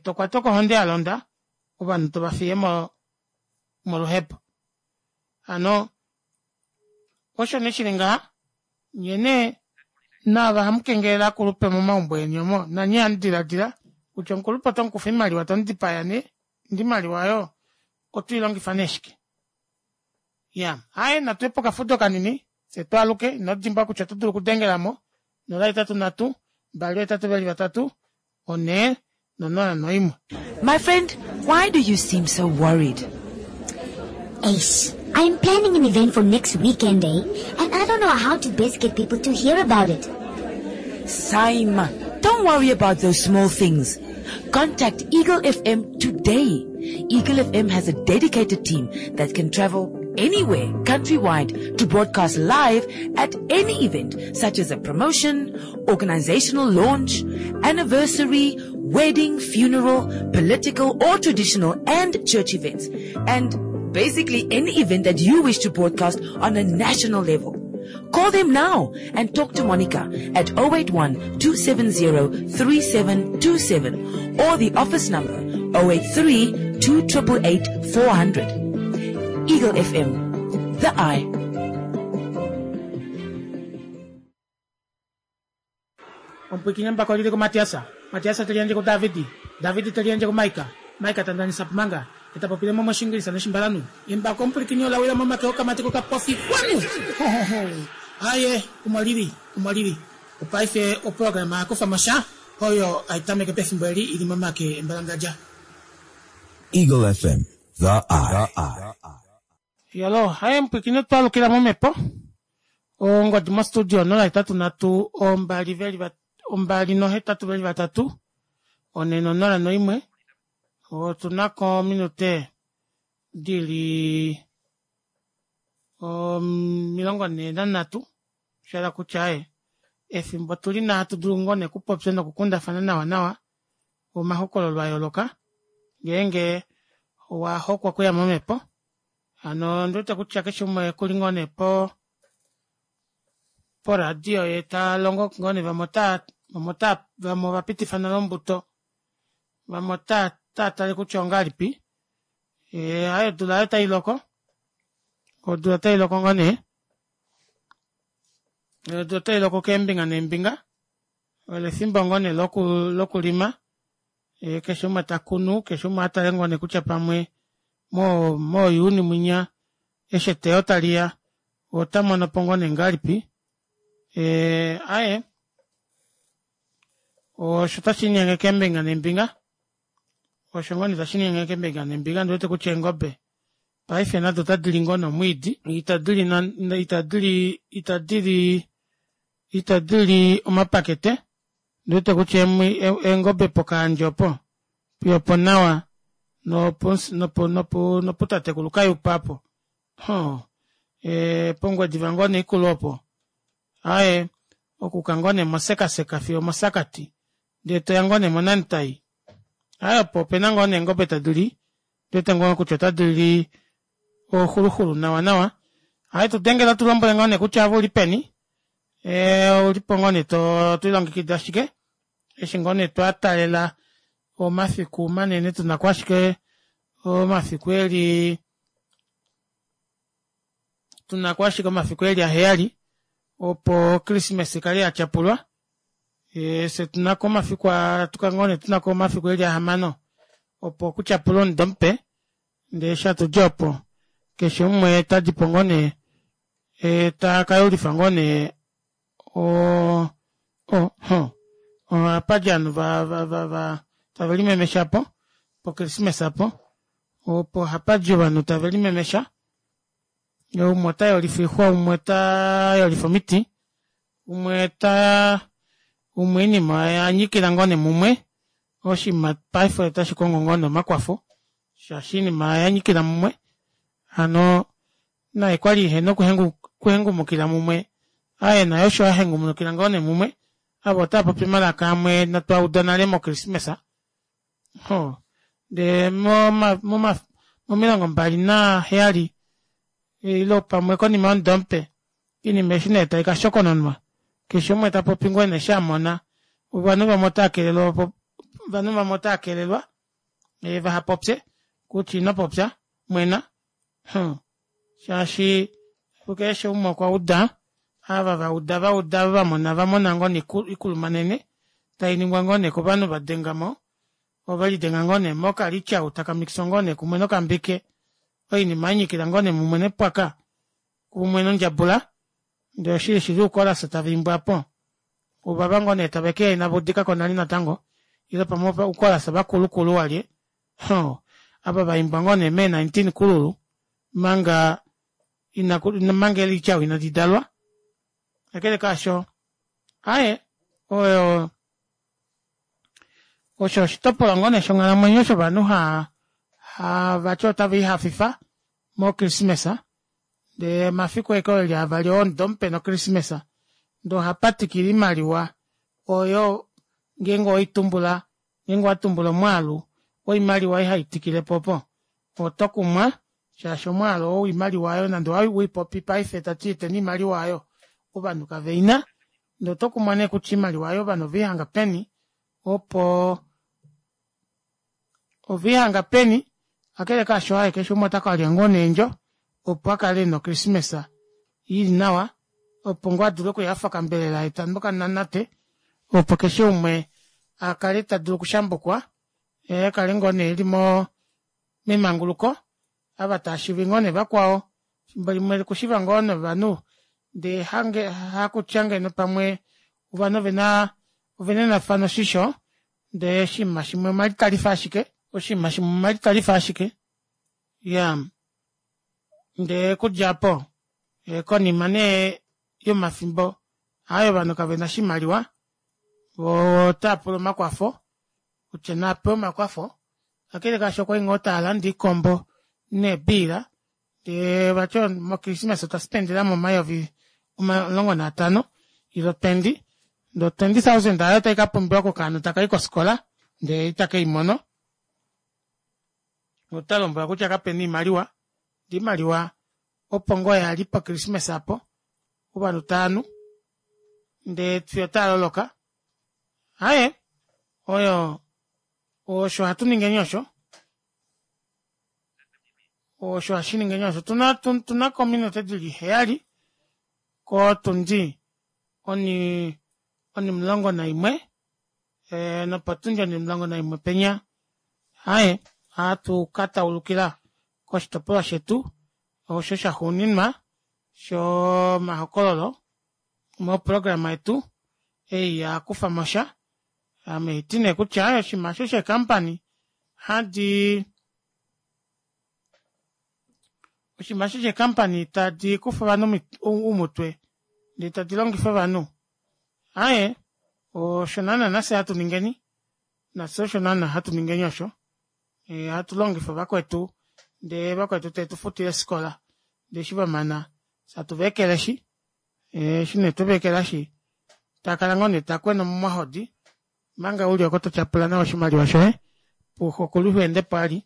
tokwatwa kohonde yalonda ovanhu tovafiye moluhepo. Hano osho nee shili ngaha nyee nee naava hamukengelele ovakulupe momaumbo eni omo nanye hamudilaadila kutya omukulupe otomukufa oimaliwa tomudipaya nee ndee oimaliwa aayo otwiilongifa nee shike. Iyaa aaye natuye pokafudo kanini fyee twaaluke inodimbwa kutya oto dulu okudengelamo nola hetatu nhatu mbali ohetatu veli vatatu onhee nonola noimwe. My friend, why do you seem so worried? Eish, I'm planning an event for next weekend, eh? And I don't know how to best get people to hear about it. Saima, don't worry about those small things. Contact Eagle F M today. Eagle F M has a dedicated team that can travel anywhere countrywide to broadcast live at any event such as a promotion, organizational launch, anniversary, wedding, funeral, political or traditional and church events. And Basically, any event that you wish to broadcast on a national level. Call them now and talk to Monica at oh eight one, two seven zero, three seven two seven or the office number oh eight three, two triple eight, four hundred. Eagle F M, the eye. Ompwikine mbako lili ku Matiasa. Matiasa telienje ku Davidi. Davidi telienje ku Maika. Maika tandanisa pumanga. Etapopile momo shingilisa noshimbalanu. Embako ompwikine olawila momake okamati kokapofi kwanu. Ho, ho, ho. Aye, umwalili, umwalili. Upaife oprograma yakufa mosha. Oyo aitameke pefimbo eli ili momake embalangaja. Eagle F M, the eye. The eye. Yalo, haye mpwikine twalukila momepo. Ongodi mo studio nola itatu natu ombali veli va, ombali nohetatu veli vatatu. One nonola noimwe. Otunako minute dili omilongo ne nanhatu. Shala kutya aye efimbo tuli na hatu dulu ngoo ne kupopya nokukundafana nawa nawa omahokololo a yooloka ngeenge owa hokwa okuya momhepo. Hano ndiwete kutya keshe umwe kuli ngoo ne po poradio ye ta longo ngoo ne vamwe ota, vamwe ota, vamwe ova pitifa nale ombuto, vamwe ota, ota tale kutya ongahelipi. E, aye odula ayo tai loko. Odula tai loko ngoo nee. Odula tai loko keembinga neembinga. Ole efimbo ngoo nee loku, lokulima. E, keshe umwe ta kunu, keshe umwe atale ngoo nee kutya pamwe mo, moyuni mwinya eshi eteyo tali ya, ota mono po ngoo nee ngahelipi. E, aye. Osho tashi nyenge keembinga neembinga. Osho ngoo nee tashi nyenge keembinga neembinga, ndi wete kutya eengobe paife nado otadi li ngoo nomwiidi. Itadi li na, itadi li, itadi li, itadi li omapakete. Ndi wete kutya emwi-, e-, eengobe pokaandje opo, opo nawa, nopo, nopo, nopo, noputatekulu kayupa opo. Ho. E, pongwediva ngoo nee ikulu opo. Aye, okuka ngoo nee mosekaseka fiyo mosakati. Ndee toya ngoo nee monantai. Aye, opo opena ngoo nee eengobe tadi li. Ndi wete ngoo kutya otadi li oxuluxulu nawa nawa. Aye, tu dengela tu lombwele ngoo nee kutya ave uli peni. E, ulipo ngoo nee to, to ilongekida ashike. Eshi ngoo nee twa talela omafiku manene tunako ashike omafiku eli, tunako ashike omafiku eli aheyali opo Christmas ikale ya tyapulwa. E, se tunako omafiku a, tuka ngoo nee tunako omafiku eli ahamano opo kutyapulwa omudo mupe. Ndee sha tudja opo keshe umwe tadi po ngoo nee, e, ta ka yulifa ngoo nee o, o, ho, apa dja ovanhu va, va, va, va, tave limemesha po, po Christmas apo, opo hapa dja ovanhu tave limemesha. Umwe ota yolifa oixwa, umwe ota yolifa omiti, umwe ta, umwe oinima ya nyikila ngoo nee mumwe. Oshinima paife otashi kongo ngoo nee omakwafo, shaashi oinima ya nyikila mumwe. Hano naye kwali ihena okuhengu-, okuhengumukila mumwe. Aye naye osho a hengumukila ngoo nee mumwe. Avo otava popi omalaka amwe natwa uda nale moChristmas. Ho. Ndee moma-, moma-, momilongo mbali naheyali, ile pamwe konima yomudo mupe, oinima eshi nee tai ka shokononwa. Keshe umwe ta popi ngoo nee sha mona. Ovanhu vamwe otava kelelwa opo, ovanhu vamwe otava kelelwa, e, vaha popye, kutya ino popya, mwena. Hmm. Shaashi, keshe umwe okwa uda, ava va uda, va uda, va mona, va mona ngoo nee iku-, ikulumanene, tai ningwa ngoo nee kovanhu va denga mo, ove lidenga ngoo nee mokalityau, taka mixa ngoo nee kumwe nokambike, oinima ya nyikila ngoo nee mumwe nepwaka, kumwe nondjabula, ndee oshili shili uukolasa tava imbwa po. Ovava ngoo nee tave ke inava udika ko nale natango, ile pamwe uukolasa vakulukulu walye. Ho, ava va imbwa ngoo nee mee nineteen kululu, manga inaku, manga elityau inadi dalwa. Kakele kaasho, aye, oyo, osho oshitopolwa ngoo nee shonghalamwenyo shovanhu ha, ha vati otava ihafifa moChristmas. Ndee mafiku eke eli avali omudo mupe noChristmas, ndee oha tikila oimaliwa oyo ngeenge owaitumbula, ngeenge owa tumbula omwaalu woimaliwa ei hai tikile po opo, oto kumwa Shaashi omwaalu oo woimaliwa aayo nande owaipopi paife tati eteni oimaliwa aayo ovanhu kaveina ndee otokumwa nee kutya oimaliwa aayo ovanhu oveihanga peni opo oveihanga peni kakele kaasho aaye keshe umwe otakalya ngoo nee eendjo opo akale ena o christmas ili nawa opo ngoo adule okuhafa okambelela yee tanu okananate opo keshe umwe akale tadulu okushambukwa yee akale ngoo nee eli moo memanguluko ava taashivi ngoo nee vakwao efimbo limwe okushiva ngoo novanhu ndee hange hakutya ngeno pamwe ovanhu ovena ovenenafana oshisho ndee oshinima shimwe omalitalifo ashike oshinima shimwe omalitalifo ashike iyaa ndee okudja aapo konima nee yomafimbo aaye ovanhu kavena oshimaliwa voo otaapula omakwafo kutya naapewe omakwafo kakele kaasho okwali ngoo taalande oikombo neebeer ndee vati mo christmas otwa spendelamo omayovi omulongo naatano ile o twenty ndee o twenty thousand aayo otai kapumbiwa kokaana takayi kofikola ndee ita keimono otalombwelwa kutya kapena oimaliwa ndee oimaliwa opo ngoo yali po christmas aapo ovanhu taanu ndee fiyo otaaloloka aaye oyo osho hatu ningeni osho osho hashiningeni osho otuna otunako ominute dili heyali kotundi oni onimulongo naimwe ee nopotundi onimulongo naimwe penya aaye ohatu kataulukila koshitopolwa shetu osho shaxuuninwa shoo mahokololo moprograma yetu ei yakufamosha ame haiti nee kutya oshinima aasho shee company hadi oshinima aasho shee company tadi kufa ovanhu oumutwe ndee tadi longifa ovanhu aaye osho naana nafye hatu ningeni nafye osho naana hatu ningeni osho ohatu longifa vakwetu ndee vakwetu teetufutile eefikola ndee eshi vamana fyee hatu veekeleshi eshi nee tweveekelashi takala ngoo nee takwena momahodi omanga uli oko totyapula nawa oshimaliwa shoye xokulu ihaendepo vali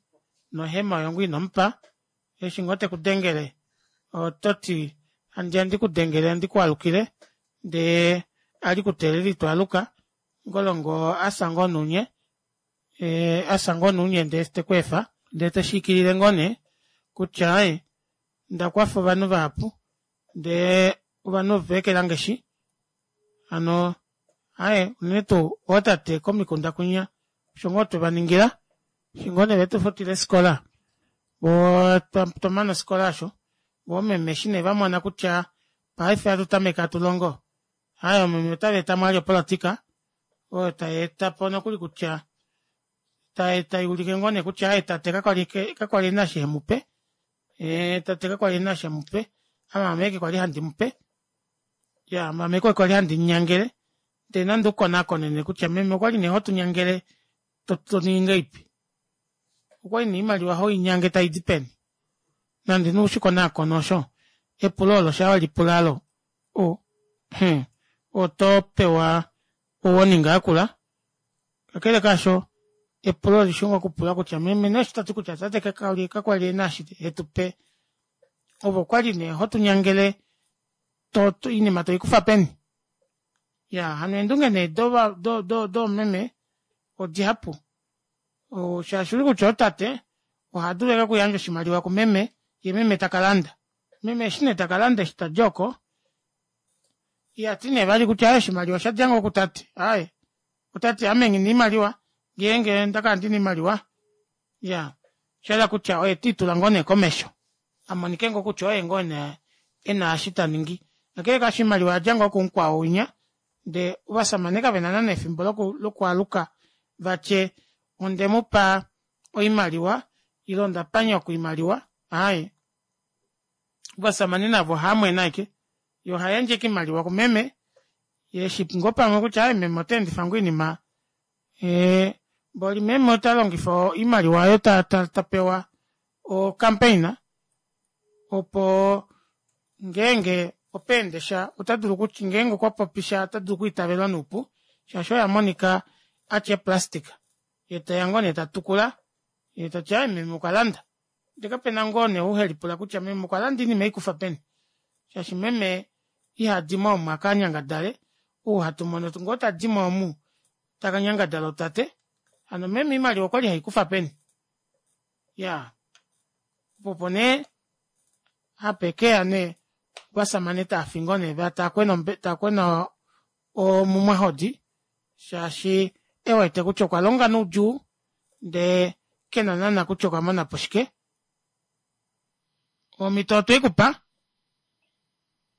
nohema oyo ngoo inomupa eshi ngoo tekudengele ototi handiya ndikudengele ndikwaalukile ndee ali kuteelela itwaaluka ngolongo afya ngoo nounye afya ngoo nounye ndee tekweefa ndee toshiikilile ngoo nee kutya aaye ondakwafa ovanhu vahapu ndee ovanhu ovaekelange shi hano aaye unene tuu ootate komikunda kwinya osho ngoo twevaningila eshi ngoo nee vetufutila eefikola voo twamana ofikola aasho voo oomeme eshi nee vamona kutya paife ohatu tameke hatulongo aaye oomeme otaveetamo vali opolitika oyo tayeetapo nokuli kutya tayuulike ngoo nee kutya aaye tate kakwali ena eshi hemupe tate kakwali ena eshi hemupe ame haame ashike kwali handi mupe iyaa ame haame kwali handi munyangele ndee nande ukonakone nee kutya meme okwali nee hotunyangele toningi ngahelipi okwali nee oimaliwa hoinyange taidi peni nande nee ushikonakone osho epulo oolo shaa welipula aalo oo hee otopewa o warning yakula kakele kaasho epulo olishi ngoo okupulwa kutya meme nee eshi toti kutya tate kakwali ena eshi hetupe ove okwali nee hotunyangele oinima toikufa peni iyaa hano eendunge nee doomeme odihapu shaashi ouli kutya ootate ohadulu ashike okuyandja oshimaliwa kumeme yee meme takalanda meme eshi nee takalanda eshi tadi oko ihati nee vali kutya aaye oshimaliwa oshadja ngoo kutate aaye otati ame nghina oimaliwa ngeenge ondakala ndina oimaliwa iyaa oshahala kutya oye tiitula ngoo nee komesho amonike ngoo kutya oye ngoo nee ena eshi taningi kakele kaasho oimaliwa oyadja ngoo kumukwao winya ndee ovashamane kavena naana efimbo lokwaaluka vatye ondemupa oimaliwa ile ondapa nyoko oimaliwa aaye ovashamane navo ohaamwene ashike yee ohayandje ashike oimaliwa kumeme yee eshi ngoo pamwe kutya aaye meme oteendifa ngoo oinima mboli meme otalongifa oimaliwa aayo tapewa o campaign opo ngeenge opa endesha otadulu ngeenge okwapopisha otadulu okwiitavelwa noupu shaashi oye amonika atya ee plastic yee teya ngoo nee tatukula yee tati aaye meme okwalanda Ndee kapena ngoo nee ou helipula kutya meme okwa landa oinima eikufa peni shaashi meme ihadimo omu akanyangadale ou hatu mono ngoo tadimo omu takanyangadala otate hano meme oimaliwa okwali heikufa peni iyaa poo opo nee hapekeya nee ovashamane taafi ngoo nee taakwena taakwena mumwahodi shaashi ewete kutya okwalonga noudjuu ndee kena naana kutya okwamonapo shike omito otweikupa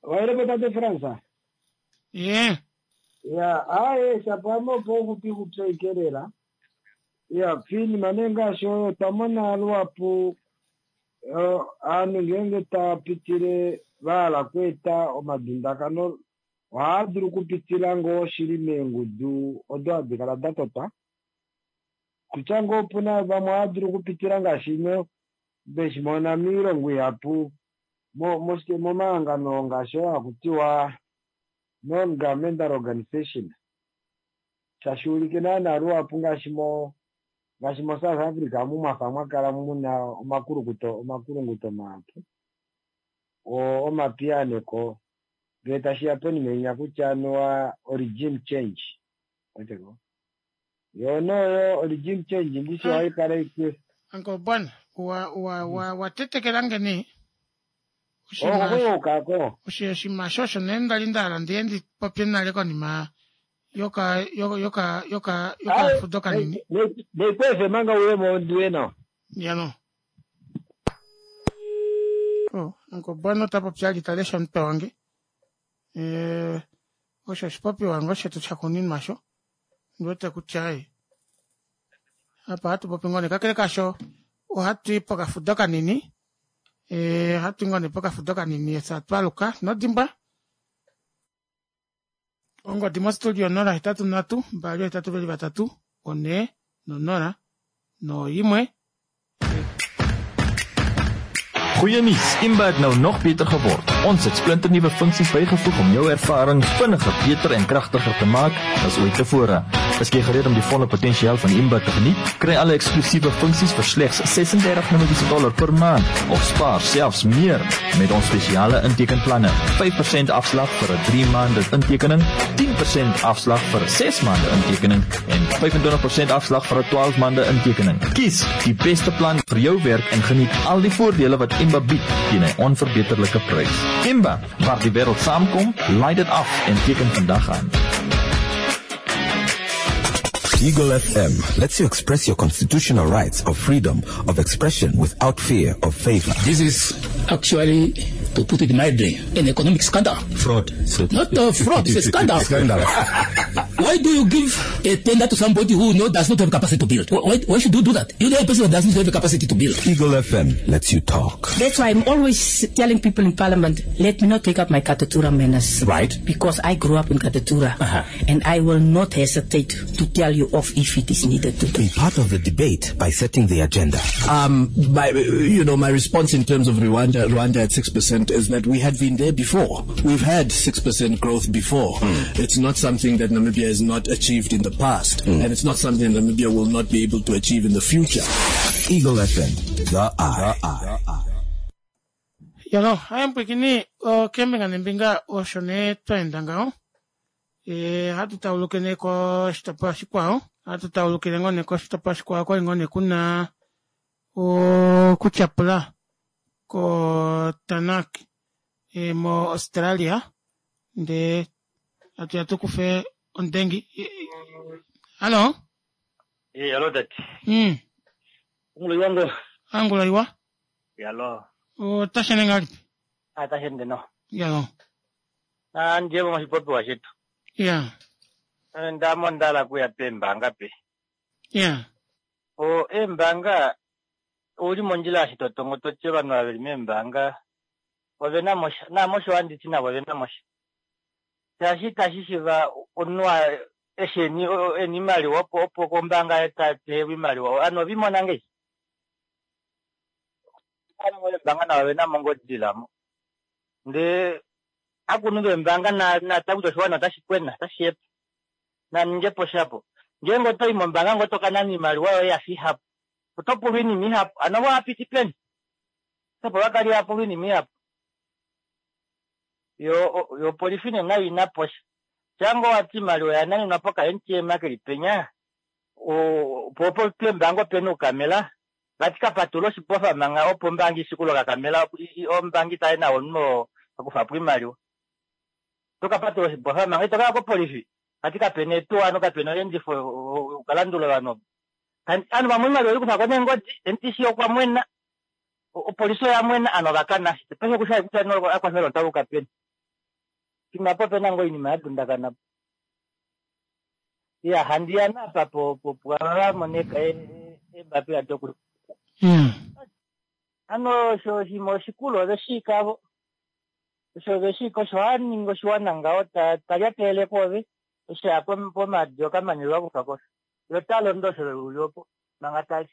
Waelepo tate Frans? Ye. Ya, aye shapo ame opo ouxupi kupya ikelela. Ya, piinima nee ngaashi oyo otwa mona luhapu eh, aanhu ngeenge tava pitile va hala okweeta omadundakano ohaa dulu okupitila ngoo shili meengudu odo hadi kala da totwa. Kutya ngoo opuna vamwe ohava dulu okupitila ngaashi mo veshi mona moilongo ihapu mo moshike momahangano ngaashi oo hakutiwa non-governmental organization tashi ulike naana luhapu ngaashi mo ngaashi mo South Africa omu mwafa mwakala muna omakulukuto omakulunguto mahapu oo omapiyaaneko ngee tashiya ponima inya kutya anuwa o-regime change weteko yoo noyo regime change ndishi ohaikala ike Uncle Bwana wa wa wa watetekelange nee okokuukako oshinima osho osho nee ndali ndahala ndiye ndipopye nale konima yoka yoka yoka yoka yokafudo kanini neikwefe manga uyemo ndiwe nawa yano oh Uncle Bwana ota popi ali talesha omutwe wange eh osho oshipopiwa ngoo shetu shakuninwa sho ndiwete kutya ai apa ohatu popi ngoo nee kakele kaasho ohatu i pokafudo kanini eh ohatu i ngoo nee pokafudo kanini efyo atwaluka inodimbwa ongodi mostudio onola hetatu nhatu mbali ohetatu veli vatatu onhee nonola noimwe. Goeie nuus, Imba het nou nog beter geword. Ons het splinternuwe funksies bygevoeg om jou ervaring vinniger, beter en kragtiger te maak as ooit tevore. Is jy gereed om die volle potensiaal van Imba te geniet? Kry alle eksklusiewe funksies vir slegs ses-en-dertig Namibiese dollar per maand of spaar selfs meer met ons spesiale intekenplanne. vyf persent afslag vir 'n drie maande intekening, tien persent afslag vir 'n ses maande intekening en vyf-en-twintig persent afslag vir 'n twaalf maande intekening. Kies die beste plan vir jou werk en geniet al die voordele wat Imba bied teen 'n onverbeterlike prys. Imba, waar die wêreld saamkom, laai dit af en teken vandag aan. Eagle F M lets you express your constitutional rights of freedom of expression without fear of favor. This is actually, to put it mildly, an economic scandal. Fraud. Not a fraud, it's a scandal. Scandal. Why do you give a tender to somebody who no, does not have capacity to build? Why, why should you do that? You know a person who does not have the capacity to build. Eagle F M lets you talk. That's why I'm always telling people in Parliament, let me not take up my Katutura manners. Right. Because I grew up in Katutura. Uh-huh. And I will not hesitate to tell you off if it is needed to. Be part of the debate by setting the agenda. Um, my, you know, my response in terms of Rwanda, Rwanda at six percent is that we had been there before. We've had six percent growth before. Mm. It's not something that Namibia has not achieved in the past, Mm. and it's not something Namibia will not be able to achieve in the future. Eagle F M, the Eye. The Eye. Yalo, haya mpwikini okembinga nembinga osho nee twaenda ngaho. E, ohatu tauluke nee koshitopolwa shikwao. Ohatu taulukile ngoo nee koshitopolwa shikwao kwali ngoo nee kuna okutyapula koTanak e, mo Australia ndee atuya tukufe ondengi. Hallo? Eh, hallo tati. Mm. Ongula iwa ngo. Angula iwa. Yalo. Otashene ngalipi? Atashende no. Yalo. Na ndiye moshipopiwa shetu. Yeah. Ndamo ndala kuya peembanga pe. Yeah. O eembanga uli mondjila eshi totongo toti ovanhu ava veli meembanga ovena mosha naamosho handiti navo ovena mosha. Shaashi itashi shiva omunhu eshi eni eni imaliwa opo opo kombaanga tapewa imaliwa ovanhu ovimona ngei. Ovanhu veembanga navo ovena mo ngoo dilamo. Ndee akunhu veembanga nata kutya oshiwana otashi kwena otashi yepa. Naningepo shapo. Ngeenge otoyi mombaanga ngoo toka nana iimaliwa yoye yafa ihapu. Oto pulwa iinima ihapu. Ano wapiti peni? Opo vakali yapo oinima ihapu. Yo yo polisi nee nayo ina posha. Shango wati imaliwa oya nanenwa poka M T M keli penya. O po po pembango pena ukamela. Vati kapatula oshibofa manga opo ombangi isikulo kakamela ombangi taye nawo omunhu akufa po imaliwa. Tokapatula oshibofa manga itoka ko polisi. Vati kapena etuwa nokapena oyendifo ukalandula ovanhu. Anu vamwe imaliwa ikufa ko nengodi N T C okwa mwena. Opolisi oya mwena ano vakana. Pese kusha kutya no akwafela otaluka peni. Kimapo pena ngo inima yadundakana. Ya handiana apa po po po moneka e e bapi atoku. Mm. Ano sho shimo shikulo veshikavo. Sho veshiko sho aningo shwana ngao ta talyatele kove. Sha po po madyo kamanilwa kufako. Yo talo ndo sho uyopo mangatali.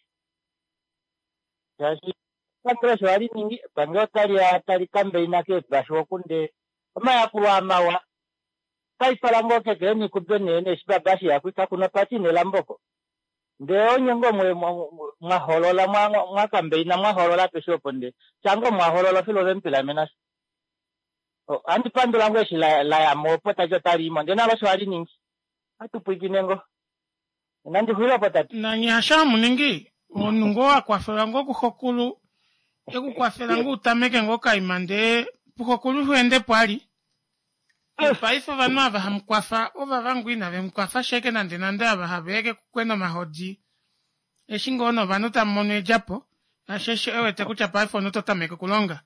Shashi pangelo sho ali ningi pangelo tali tali kambeina ke basho kunde omayakulo amawa. Kaifala ngoke ke ni kubene ne shibabashi yakwika kuna pati nelamboko. Nde onyengo mwe mwaholola mwa mwa kambeina mwaholola peshopo nde. Chango mwaholola filo vempila mena. O andi pandula ngwe shila la ya mopo tajo tali mo nde nalo sho ali ningi. Atupuikinengo. Nandi huilo potati. Na nyasha muningi onungo akwafela ngo kuhokulu ekukwafela ngo utameke ngo kaimande puhokulu huende pwali. Paife ovanhu ava hamukwafa ova vangu ina vemukwafa sheke nande nande ava haveke kukwena omahodi. Eshi ngoo ovanhu tamu edjapo asheshe ewete kutya paife ono totameke okulonga.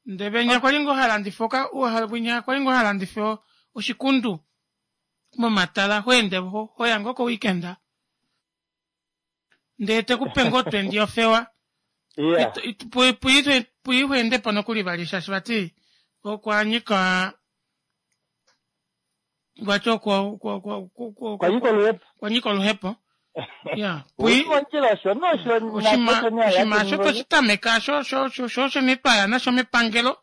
Nde venya kwali ngoo halandifa oka winya kwali ngoo halandifa oshikundu momatala hoende hoya ngoo ko weekend. Ndee tekupe ngoo twendi ofewa. Yeah. Puihuende po nokuli vali shaashi vati okwanyika Gwacho kwa kwa kwa kwa kwanyika oluhepo. Kwanyika oluhepo. Yeah. Pui ondjila sho no sho oshima oshima sho toshitameka sho sho sho sho sho netwaya nasho mepangelo.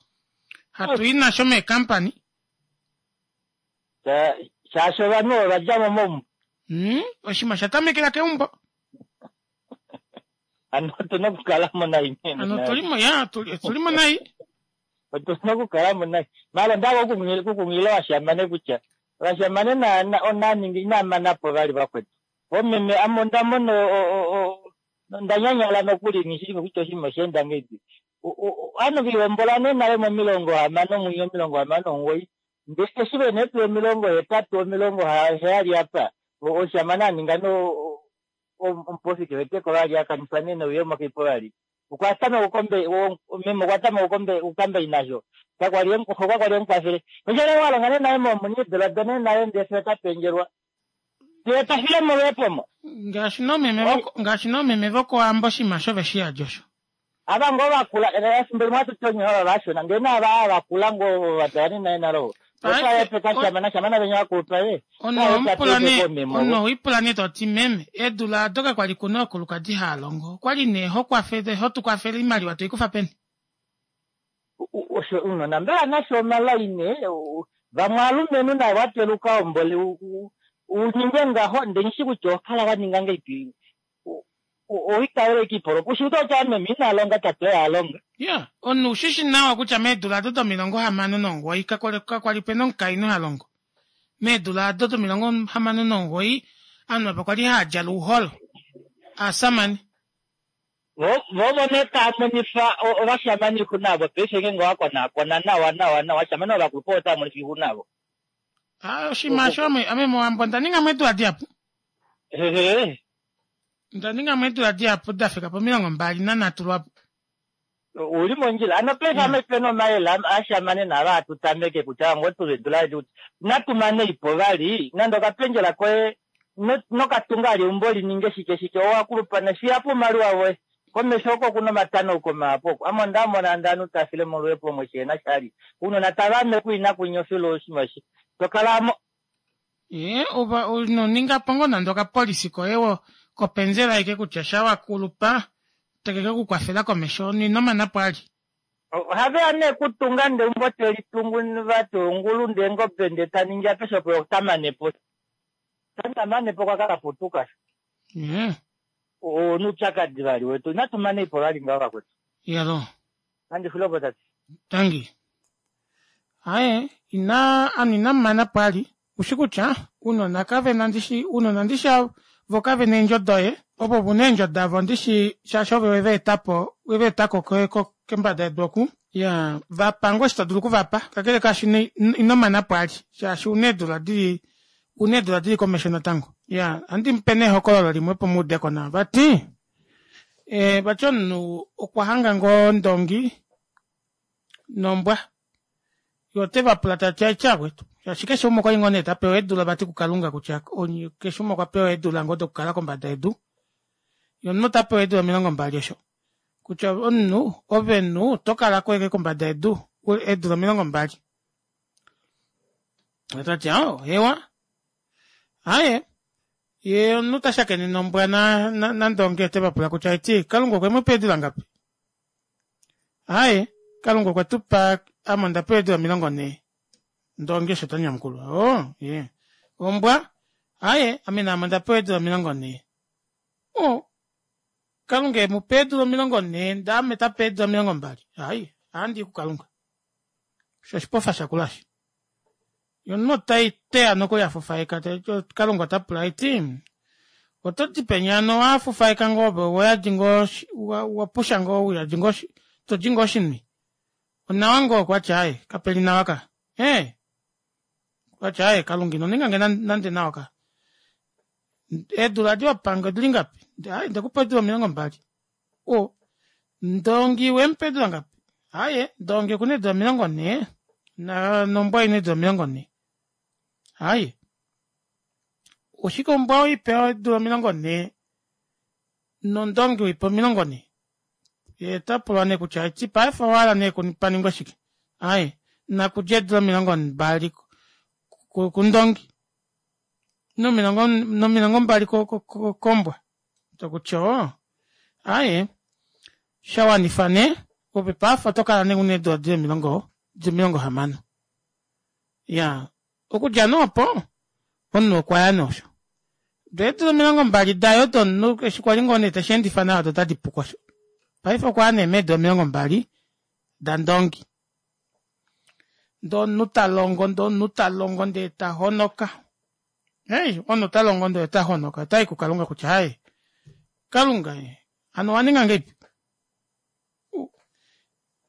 Hatu i nasho meekampani. Shaashi ovanhu ovadja mo momu. Mm, oshima shatamekela keumbo. Ano otuna okukala mo nai. Ano tulimo ya tulimo nai. Otuna okukala mo nai. Mala ndako okukungila washamane kutya vashamane na na onaningi inamanapo vali vakwetu. Omeme amo ndamono ndanyanyala nokuli nishili kutya oshima shenda ngedi. Ano vihombola nale momilongo hamano mwiyo omilongo hamano omugoyi. Nde eshi vene tu omilongo hetatu omilongo heyali apa. Oshamane aninga no omposi keweteko vali akanisa nene uyemo kipo vali. Okwatama ukombe meme okwatama ukombe ukambe inasho. Kakwali okakwali omukwafele. Nshele walonga ne naye momunidela done naye ndese tapenjelwa. Teta file mo wepomo. Ngaashi nomeme voko ngaashi nomeme voko ambo shima sho veshiya josho. Ava ngo vakula efimbo limwe atutonye ava vashona ndee nava avakula ngo vatayani naye nalo. Ono oipula nee toti meme edula doka kwali kuna okulukadi haalongo okwali nee hokwafele hotukwafele imaliwa toikufa peni. Osho unona mbela nasho omalaine vamwe alumenhu naye wateluka ombole uninge ngaho nde nishi kutya okala waninga ngeipi oitawele kipolo kushuto cha meme inalonga tate yalonga. Yeah, onu ushishi nawa kutya meedula ado domilongo hamano nomugoyi kakwali pena omukainhu halongo. Meedula ado domilongo hamano nomugoyi ovanhu apa kwali haadjala ouholo aasamane. Vovo nee taamonifa ovashamane ixuna paife ngeenge owakonakona nawa nawa nawa vashamane ovakulupe otaamonifa ixuna avo. Ah, oshinima osho ame mowambo onda ninga mo eedula dihapu. Onda ninga mo eedula dihapu dafika pomilongo mbali nanhatu lwapo. Uli mondjila ano paife ame pena omayele ashamane nava atutameke kutya ngo tuvedula edi natumane ipo vali nande okapendjela koye nokatunga ali eumbo lininge shike shike owakulupa fiyapo oumaliwa voye komesho oko kuna omatano komahapo oko ame ondamona ndanu tafile moluhepo omwe shena shali unona tavame kuina kunyofilo oshima shi tokalamo. Ee ova unoninga po ngoo nande okapolisi koye wo kopenzela ike kutya shawakulupa tekeke kukwafela komesho ninomanapo ali. Ohaveya nee kutunga nde umbo telitungu vati ongulu nde engobe nde taningi apeshe opo otamanepo. Tamanepo kwakakaputuka. Yeah. Onuupyakadi vali wetu inatumane ipo vali ngaho vakwetu. Yalo. Nandi xulepo tate. Tangi. Aye ina ame inamumana pwali ushi kutya ounona kavena ndishi ounona ndishi voo kavena eendjo doye ovo una eendjo davo ndishi shaashi ove wevaetapo wevaetako kombada yedu oku iyaa vapa ngoo osho todulu okuvapa kakele kaasho inomana pwali shaashi ouna eedula dili ouna eedula dili komesho natango iyaa ohandimupe nee ehokololo limwe opo muudeko nawa vati ee vati omunhu okwahanga ngoo ndongi nombwa yee otevapula tati aiti vakwetu shaashi keshe umwe okwali ngoo nee tapewa eedula vati kukalunga kutya keshe umwe okwapewa eedula ngoo dokukala kombada yedu yee omunhu otapewa eedula omilongo mbali osho kutya omunhu ove omunhu otokalako ashike kombada yedu eedula omilongo mbali tati aawo hewa aaye yee omunhu tashakene nombwa nandongi otevapula kutya haiti kalunga okwemupa eedula ngapi aaye kalunga okwetupa ame ondapewa eedula omilongo nhee ndongi osho tanyamukula oo iye ombwa aaye ame naame ondapewa eedula omilongo nhee oo kalunga emupa eedula omilongo nhee ndee ame tape eedula omilongo mbali aaye ohandii kukalunga osho oshipofa shakula aasho yee omunhu oteya nokuli afufaika kalunga otapula haiti otodi peni hano owafufaika ngoo ove ouyadi ngoo owapusha ngoo uyadi ngoo todi ngoo oshinwi onawa ngoo okwati aaye kapeli nawa ka ee okwati aaye kalunga inoningange nande nawa ka eedula edi wapange odili ngapi aaye ondekupa eedula omilongo mbali oo ndongi owemupa eedula ngapi aaye ndongi okuna eedula omilongo nhee nombwa oina eedula omilongo nhee aaye oshike ombwa weipa eedula omilongo nhee nondongi weipa omilongo nhee yee otapulwa nee kutya haiti paife owahala nee paningwe shike aaye nakudje eedula omilongo mbali kundongi nomilongo mbali kombwa tokutya oo aaye shawanifa nee ove paife otokala nee una eedula dili omilongo dili omilongo hamano iyaa okudja nee opo omunhu okwaya nee osho doo eedula omilongo mbali daye odo eshi kwali ngoo nee tesheendifa nawa odo otadi puko osho paife okwaya nee meedula omilongo mbali dandongi ndee omunhu talongo ndee omunhu talongo ndee tahonoka ei omunhu otalongo ndee otahonoka otayi kukalunga kutya aaye kalunga ee hano owaninga ngahelipi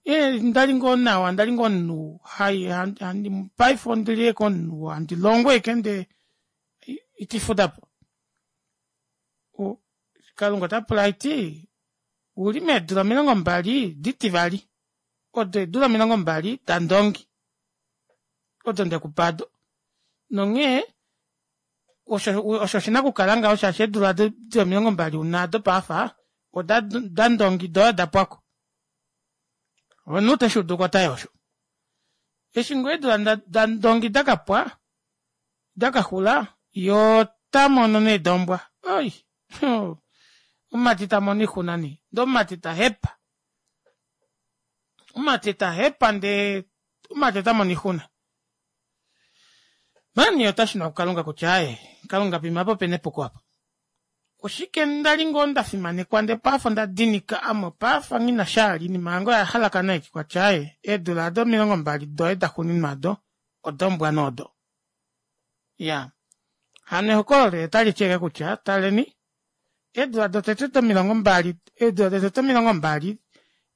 ee ndali ngoo nawa ndali ngoo omunhu hai paife ondili ashike omunhu handi longo ashike ndee itifudapo kalunga otapula haiti ouli meedula omilongo mbali ditivali odo eedula omilongo mbali dandongi odo ndekupa aado nonghee osho oshina okukala ngaho shaashi eedula dili omilongo mbali una aado paife oda dandongi doye odapwako omunhu teshuuduko otayi osho eshi ngoo eedula dandongi dakapwa dakaxula yee otamono nee dombwa oi omumati tamono oixuna nee ndee omumati tahepa omumati tahepa ndee omumati otamono oixuna mani otashuna kukalunga kutya aaye kalunga poima aapa opena epuko aapa oshike ndali ngoo ndafimanekwa ndee paife ondadinika ame paife nghinasha vali oinima yange oyahalakana ashike okwati aaye eedula aado omilongo mbali doye daxuuninwa aado odombwa nee odo iyaa hano ehokololo otaliti ashike kutya taleni eedula dotete domilongo mbali eedula dotete omilongo mbali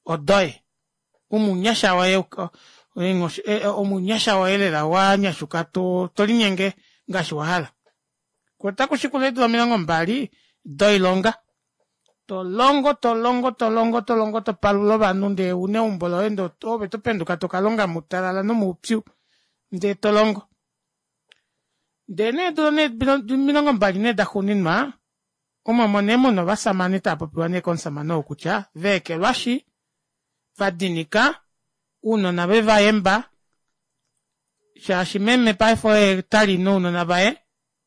odoye omunyasha woye omunyasha woye lela wanyashuka tolinyenge ngaashi wahala koo otakushikula eedula omilongo mbali doilonga tolongo tolongo tolongo tolongo topalula ovanhu ndee una eumbo loye ndee ove topenduka tokalonga moutalala nomoupyu ndee tolongo ndee nee eedula omilongo mbali nee daxuuninwa omo omo nee muna ovashamane taapopiwa nee komushamane ou kutya vaekelwashi vadinika ounona vevayemba shaashi meme paife oye tali nounona vaye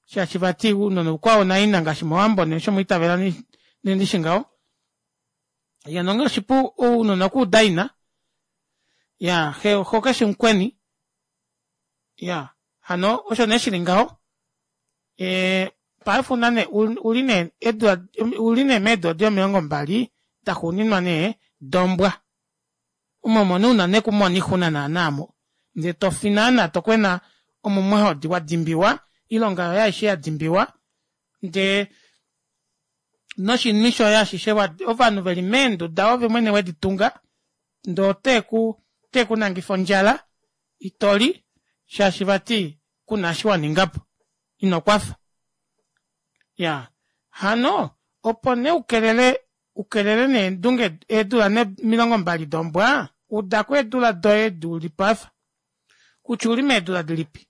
shaashi vati ounona oukwao naina ngaashi mowambo nee osho mwaitavela nee ndishi ngaho yee nonghee oshipu ounona okuuda ina iyaa xo keshi mukweni iyaa hano osho nee shili ngaho ee paife ouna nee uli nee uli nee meedula dili omilongo mbali daxuuninwa nee dombwa Omo omo nee una nee okumona oixuna naana omo ndee tofi naana tokwena omumwahodi wadimbiwa oilonga yoye aishe yadimbiwa ndee noshinhu shoye ashishe ovanhu veli meenduda ove mwene weditunga ndee oteeku oteekunangifa ondjala itoli shaashi vati kuna eshi waningapo inokwafa iyaa hano opo nee ukelele ukelele nee endunge eedula nee omilongo mbali dombwa udako eedula doye edi ulipo apa kutya ouli meedula dilipi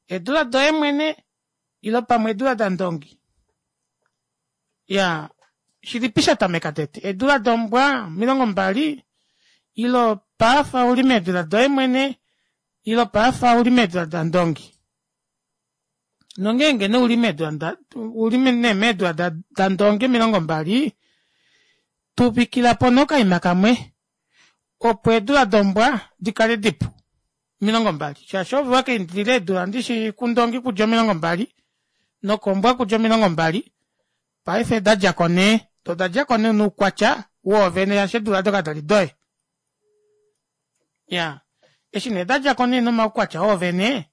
eedula doye mwene ile pamwe eedula dandongi iyaa shilipi shatameka tete eedula dombwa omilongo mbali ile paife ouli meedula doye mwene ile paife ouli meedula dandongi nongeenge nee uli meedula uli nee meedula dandongi omilongo mbali tuvikilapo nee okaima kamwe opo eedula dombwa dikale dipu omilongo mbali shaashi ove owakaindilila eedula ndishi kundongi kudja omilongo mbali nokombwa kudja omilongo mbali paife dadjako nee doo odadjako nee noukwatya woovene shaashi eedula aado kadali doye iyaa eshi nee dadjako nee nomaukwatya oovene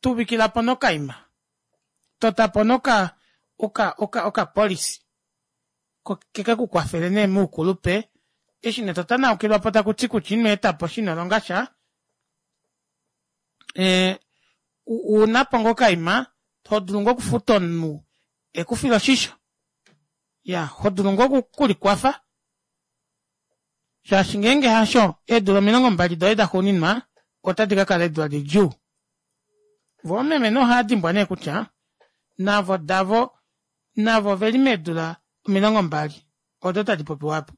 tuvikilapo nee okaima totapo nee oka oka oka policy kekekukwafele nee moukulupe eshi nee totanaukilwapo takuti kutya inweetaposha inolongasha ee ounapo ngoo okaima hodulu ngoo okufuta omunhu ekufile oshisho iyaa hodulu ngoo okulikwafa shaashi ngeenge hasho eedula omilongo mbali doye daxuuninwa otadi kakala eedula didjuu voo oomeme nee ohaadimbwa nee kutya navo davo navo oveli meedula omilongo mbali odo tadi popiwa aapo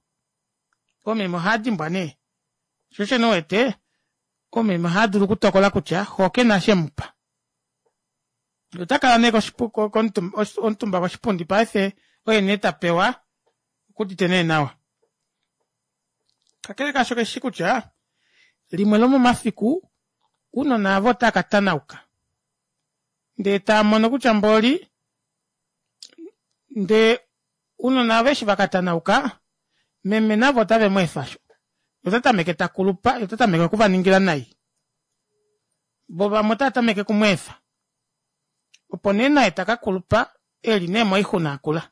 oomeme ohaadimbwa nee shoo osho nee uwete oomeme ohaadulu okutokola kutya xoo kena eshi emupa otakala nee omutumba koshipundi paife oye nee tapewa okuudite nee nawa kakele kaasho keshi kutya limwe lomomafiku ounona aava otava katanauka ndee taamono kutya mboli ndee ounona aava eshi vakatanauka meme navo otave mweefa sho otatameke takulupa yee otatameke okuvaningila nai voo vamwe otava okumweefa opo nee naye takakulupa eli nee moixuna akula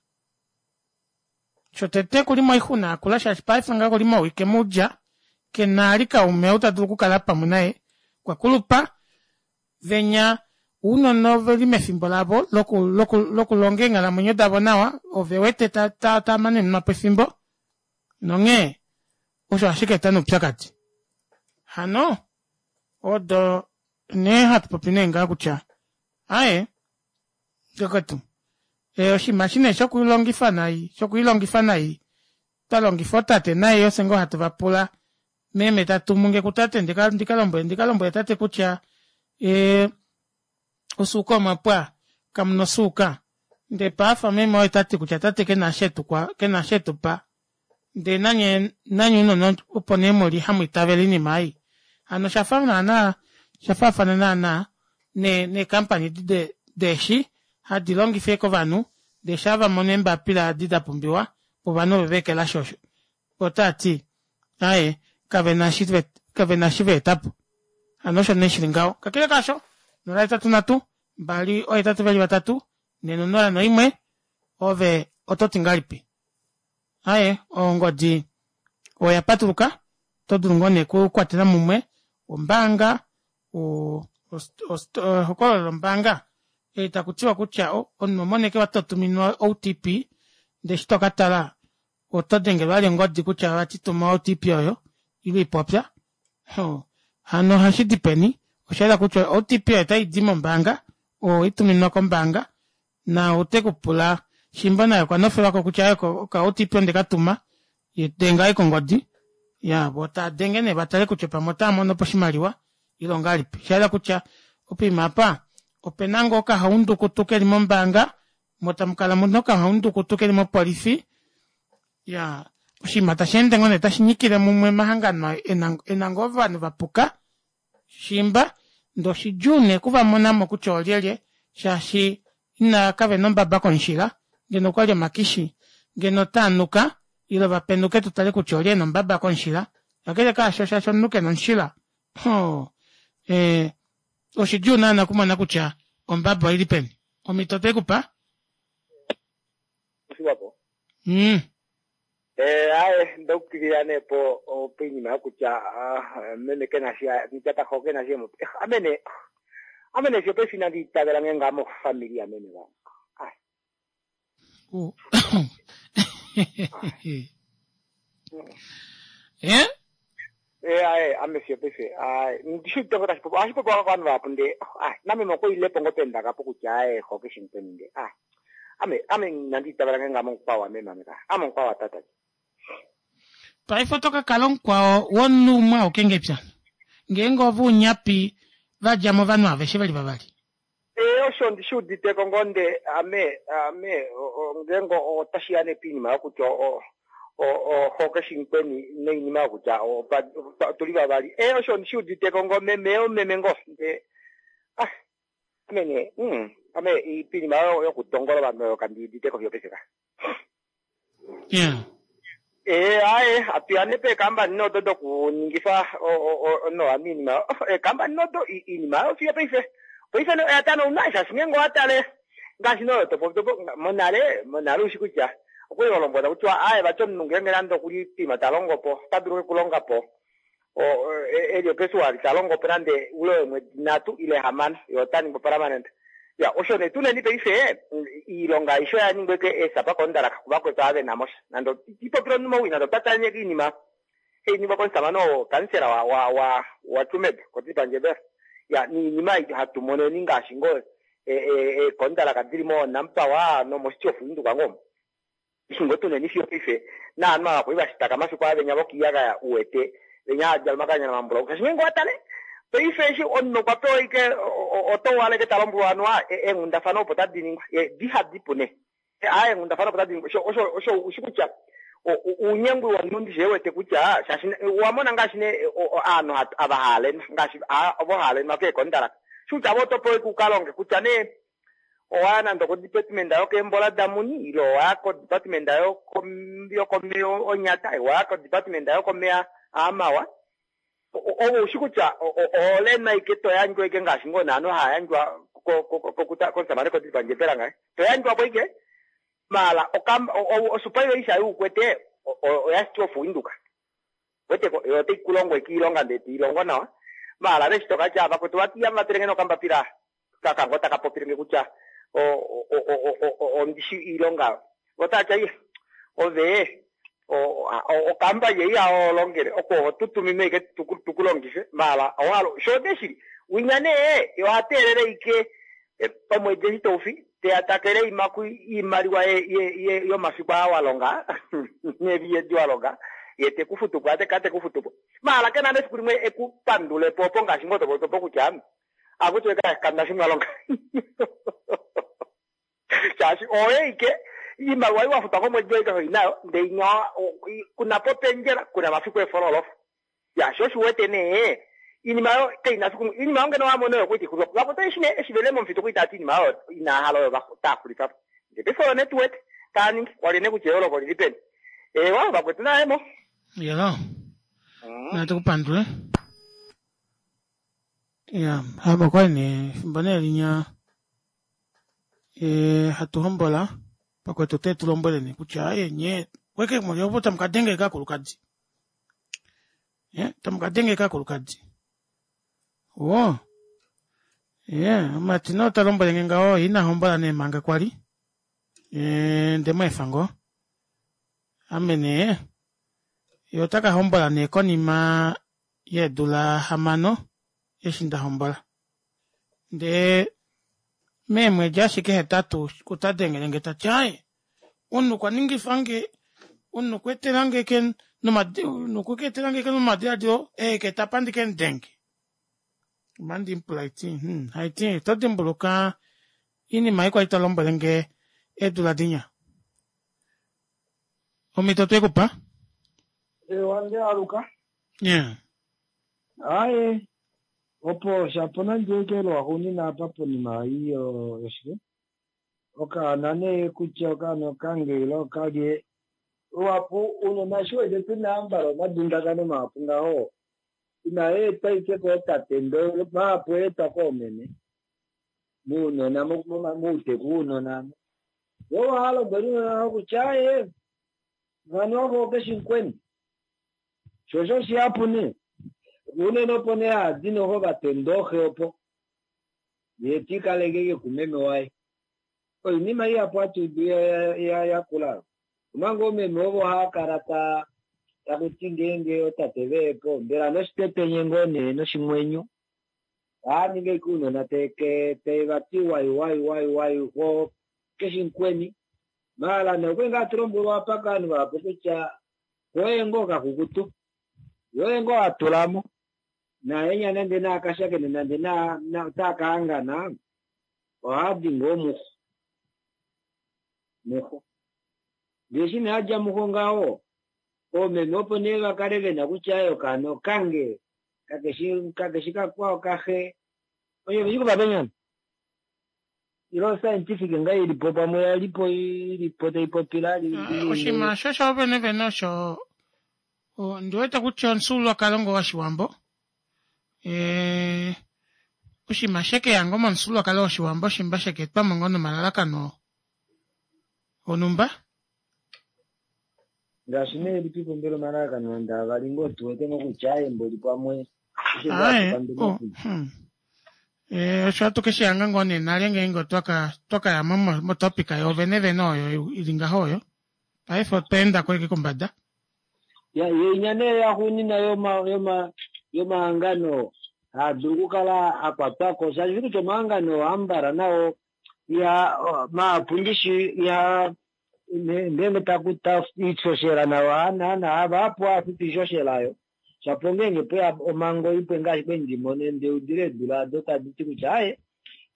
shotete okuli moixuna akula shaashi paife ngaha okuli mowike moudja kena vali kaume ou tadulu okukala pamwe naye okwakulupa venya ounona oveli mefimbo lavo loku loku lokulonga eenghalamwenyo davo nawa ovewete tamanenwapo efimbo nonghee osho ohashikaeta nee oupyakadi hano odo nee hatupopi nee ngaha kutya aaye vakwetu oshinima eshi nee shokulongifa nai shokwiilongifa nai twalongifa ootate nai ofye ngoo hatu vapula meme tatumunge kutate ndikalombwele ndikalombwele tate kutya ee osuuka omwapwa kamuna osuuka ndee paife meme oye tati kutya tate kena eshi kena eshi etupa ndee nanye nanye ounona opo nee muli hamwiitavele oinima ei hano oshafa naana oshafaafana naana nee company edi deeshi hadi longifa ashike ovanhu ndee shaa vamono eembapila edi dapumbiwa ovanhu ove veekelashi osho otaati aaye kavena eshi kavena eshi vaetapo hano osho nee shili ngaho kakele kaasho nola hetatu nhatu mbali ohetatu veli vatatu nhee nonola noimwe ove ototi ngahelipi aaye ongodi oya patuluka oto dulu ngoo nee okukwatela mumwe ombaanga ehokololo lombaanga eli takutiwa kutya omunhu oho ashike totuminwa O T P ndee eshi tokatala oto dengelwa vali ongodi kutya vati tuma O T P oyo ile ipopya hano ohashidi peni oshayela kutya O T P oyo otaidi mombaanga oweituminwa kombaanga na otekupula shimba naye okwa nofelwako kutya oka O T P ondekatuma denga ashike ongodi iya voo tadenge nee vatale kutya pamwe otaamonopo oshimaliwa ile ongahelipi oshayela kutya poima apa opena ngoo okahaundukutu keli mombaanga moo tamukala muna okahaundukutu keli mopolifi iyaa oshinima tasheende ngoo nee tashinyikile mumwe omahangano ena ngoo ovanhu vapuka shimba ndee oshidjuu nee okuvamonamo kutya oolyelye shaashi ina kavena ombaba komushila ngeno okwali omakishi ngeno otaanuka Ile vapenduke tutale kutya olye ena ombaba komushila. Kakele kaasho shaashi omunhu kena omushila hoo eh, oshidjuu naana okumona kutya ombaba oili peni. Omhito twekupa? Oshiwapo. Mm. Eh, aye ndaukilila nee po poinima yokutya ah, meme kena shi tata xo kena shi emu- eh, amene amene fiyo paife inandi itavela nge ngaa mofamili yameme vange. U- Eh? Eh, aye ame fiyo paife aye ndishiutengo tashi popiwa ohashi popiwa kovanhu vahapu ndee aye nameme okwoilepo ngoo pendakapo kutya aye xo keshi mukweni ndee aye ame ame inandi itavela nge ngaa momukwao wameme ame ka ame omukwao watata. Paife oto ka kala omukwao womunhu umwe auke ngepya. Ngeenge ove unyapi vadja movanhu aveshe veli vavali. Eh, osho ndishi uditeko ngoo nde ame ame o- o- ngeenge otashiya nee poinima yokutya o- o- o- xo keshi mukweni noinima yokutya opa- opa- otuli vavali. Eh, osho ndishi uditeko ngoo meme omeme ngoo nde ah ame nee mm, ame i- poinima yo- yokutongola ovanhu oyo kandiuditeko fiyo paife ka. Yeah. Eh, aye atuya nee peekambani nodo dokuningifa o- o- o- nowa miinima oh, eekambani nodo i- iinima oyo fiyo paife paife no- oya tanauna shaashi ngeenge owatale ngaashi noyo topotopo monale monale ushi kutya okwali walombwela kutya aye vati omunhu ngeenge nande okuli poima talongo po ota dulu okulonga po o- e- eli opesuwali talongo po nande ule weemwedi nhatu ile hamano ye ota ningwa permanent. Ya osho nee tuneni paife mm, iilonga aishe oya ningwa eke eesapa kondalaka kuvakwetu ava vena mosha nande ipopile omunhu mowii nande otwa tale iinima einingwa komusamane oo kansela wa wa wa wa Tsumeb kotipandjebela ya niinima ei hatu moneni ngaashi ngoo eekondalaka dili mo Nampower nomo-City of Windhoek ngoo ishi ngoo tuneni fiyo paife naanhu ava kwali vashitaka mafiku aa venya vokiiyagaya uwete venya hadjala omakanyana mambulau shaashi ngeenge owatale paife eshi omunhu okwa pewa ike oto wala ike talombwelwa anuwa eenghundafana opo tadi ningwa ye dihadipu nee aa eenghundafana opo tadi ningwa osho osho osho ushi kutya uunyengwi womunhu ndishi ewete kutya shaashi owamona ngaashi nee aanhu ava haalenwa ngaashi ovo haalenwa keekondalaka shi kutya avo oto pewa ike ukalonge kutya nee owaya nande okodepartment yokeembola damuni ile owaya kodepartment yokomeya onyata owaya kodepartment yokomeya aamawa ovo ushi kutya oholenwa ike toyandjwa ike ngaashi ngoo naanhu haayandjwa komusamane kodipandjepela ngaye toyandjwapo ike maala osupaiveli yuukwete oya City of Windhoek weteko yo otayi kulongo ike iilonga ndee tiilongo nawa maala veshi tokatya vakwetu vati yamuvatelenge nokambapila kakango taka popilenge kutya ondishi iilonga votatya iya ove okamba yei aolongele oko otutumime ike tukulongife maala owalo sho neshili winya nee ohateelele ike omwedi eshi toufi teya takele imaku iimaliwa yomafiku aa walonga nevi yedi walonga ye tekufutupo ate katekufutupo maala kena nefiku limwe ekupandulepo opo ngaashi ngoo topotopo kutya akutye kanda shi mwalonga shaashi oye ike iimaliwa iwafutwa komwedi oike hoinayo ndee inya kuna po pendjela kuna mafiku efololofa ya sho oshiwete nee iinima yo kaina fiku iinima yo ngeno wamona oyo kwiti xulifwapo vakwatu eshi nee eshi vele momufito kwiti tati iinima oyo inahala oyo taaxulifapo ndee paife oyo nee tuwete taaningi kwali nee kutya eyooloko lili peni ewa vakwetu naemo. Yelo. Natu kupandule. Ya, hamo kwali nee efimbo nee linya e, hatu hombola pakwetu te tulombwele nee kutya aye nye weke muli opo tamukadenge kakulukadi. Eh, tamukadenge kakulukadi. Wo. Yeah, omati no talombwele nge ngaho ina hombola nee manga kwali. Eh, ndemo efango. Ame nee ye ota ka hombola nee konima yeedula hamano eshi nda hombola. Ndee meemwedi ashike hetatu kutadengelenge tati aye omunhu okwa ningifange omunhu okwa etelange ke nokwa etelange ke nomadiladilo eke tapa ndike mudenge. Omandi mupula haiti hmm, haiti oto dimbuluka iinima ei kwali talombwelenge eedula dinya. Omhito twekupa? Ewa aluka. Yeah. Aye opo shapo nande eke lwaxuunina apa ponima iyo yoshike okaana nee kutya okaana okange ile okalye Luhapu unona eshi wete tuna ambala omadundakano mahapu ngaho inaa etwa ike kootate ndele mahapu oetwa koomeme muunona mouteku wounona vo ohalombwele uunona kutya aaye vano ovo okeshimukweni sho osho shihapu nee unene opo nee hadi noho vatenda oxe opo yee tikaleke kumeme waye oinima ihapu hatuudu yakula omanga oomeme ovo haakala ta takuti ngeenge otate veepo mbela noshitetenye ngoo nee noshimwenyo ohaningi ashike ounona tevati wai wai wai wai ko keshimukweni maala nee okwali ngaa hatulombwelwa apa kovanhu vahapu kutya oye ngoo kakukutu yoye ngoo hatulamo naenya nande naakashakene nande otaakahangana ohaadi ngoo muxo muxo ndee eshi nee adja muxo ngaho oomeme opo nee vakale vena kutya aye okaana okange kakeshi kakeshi kakwao kaxe oye veshi kuvapenyana ilo scientific nga ilipo pamwe yalipo ilipo taipopila oshinima osho sho vene vene osho ndiwete kutya omufyuululwakalo ngoo woshiwambo oshinima shekeya ngoo momufyuululwakalo woshiwambo shimba sheka etwamo ngoo nomalalakano onumba ngaashi nee lipipo mbela omalalakano nande avali ngoo tuwete ngoo kutya aye mboli pamwe osho hatu keshihanga ngoo nee nale ngeenge otwakaya motopic yoovene vene oyo ili ngaho oyo paife otwa endako ashike kombada yeinya nee yaxuunina yoma yomahangano haadulu okukala akwatwako shaashi kutya omahangano ambala nao iha mahapu ndishi iha ngeenge takuta iishoshela nayo naana vahapu hafutu iishoshela shapo ngeenge pweya omhango ipwe ngaashi kwali ndimone ndeudile eedula ado taditi kutya aaye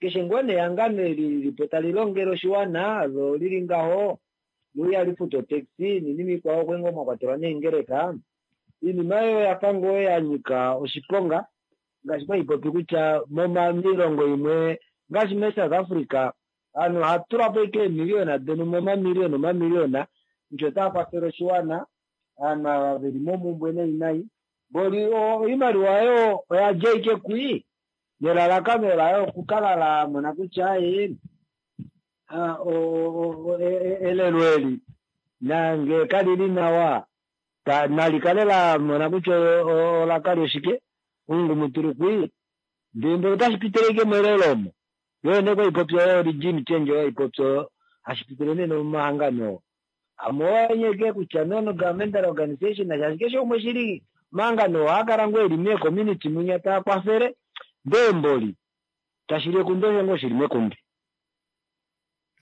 keshe ngoo nehangano eli lilipo tali longele oshiwana lo lili ngaho lo ihali futu otaxi noinima ikwao okwe ngoo mwakwatelwa neengeleka oinima oyo oyafa ngoo yanyika oshiponga ngaashi kwali popi kutya moilongo imwe ngaashi me-South Africa ovanhu ohatulapo ashike eemiliyona donumba omamiliyona omamiliyona kutya otaa kwafele oshiwana ovanhu ava veli momumbwe nai nai mboli oimaliwa oyo oyadja ashike kwii nelalakano layo okukala lamona kutya aaye elelo eli nange kalili nawa nalikale lamona kutya olakali oshike omungumutulu kwii ndee mboli otashi pitile ashike melelo omo yoo nee kwaipopi oyo regime change oyo haipopi oyo hashi pitile nee nomomahangano amwe oanyeke kutya non governmental organization shaashi keshe umwe shili omahangano ohaakala ngoo eli mee-community munya taa kwafele ndee mboli tashili ekundu osho ngoo shili mekundu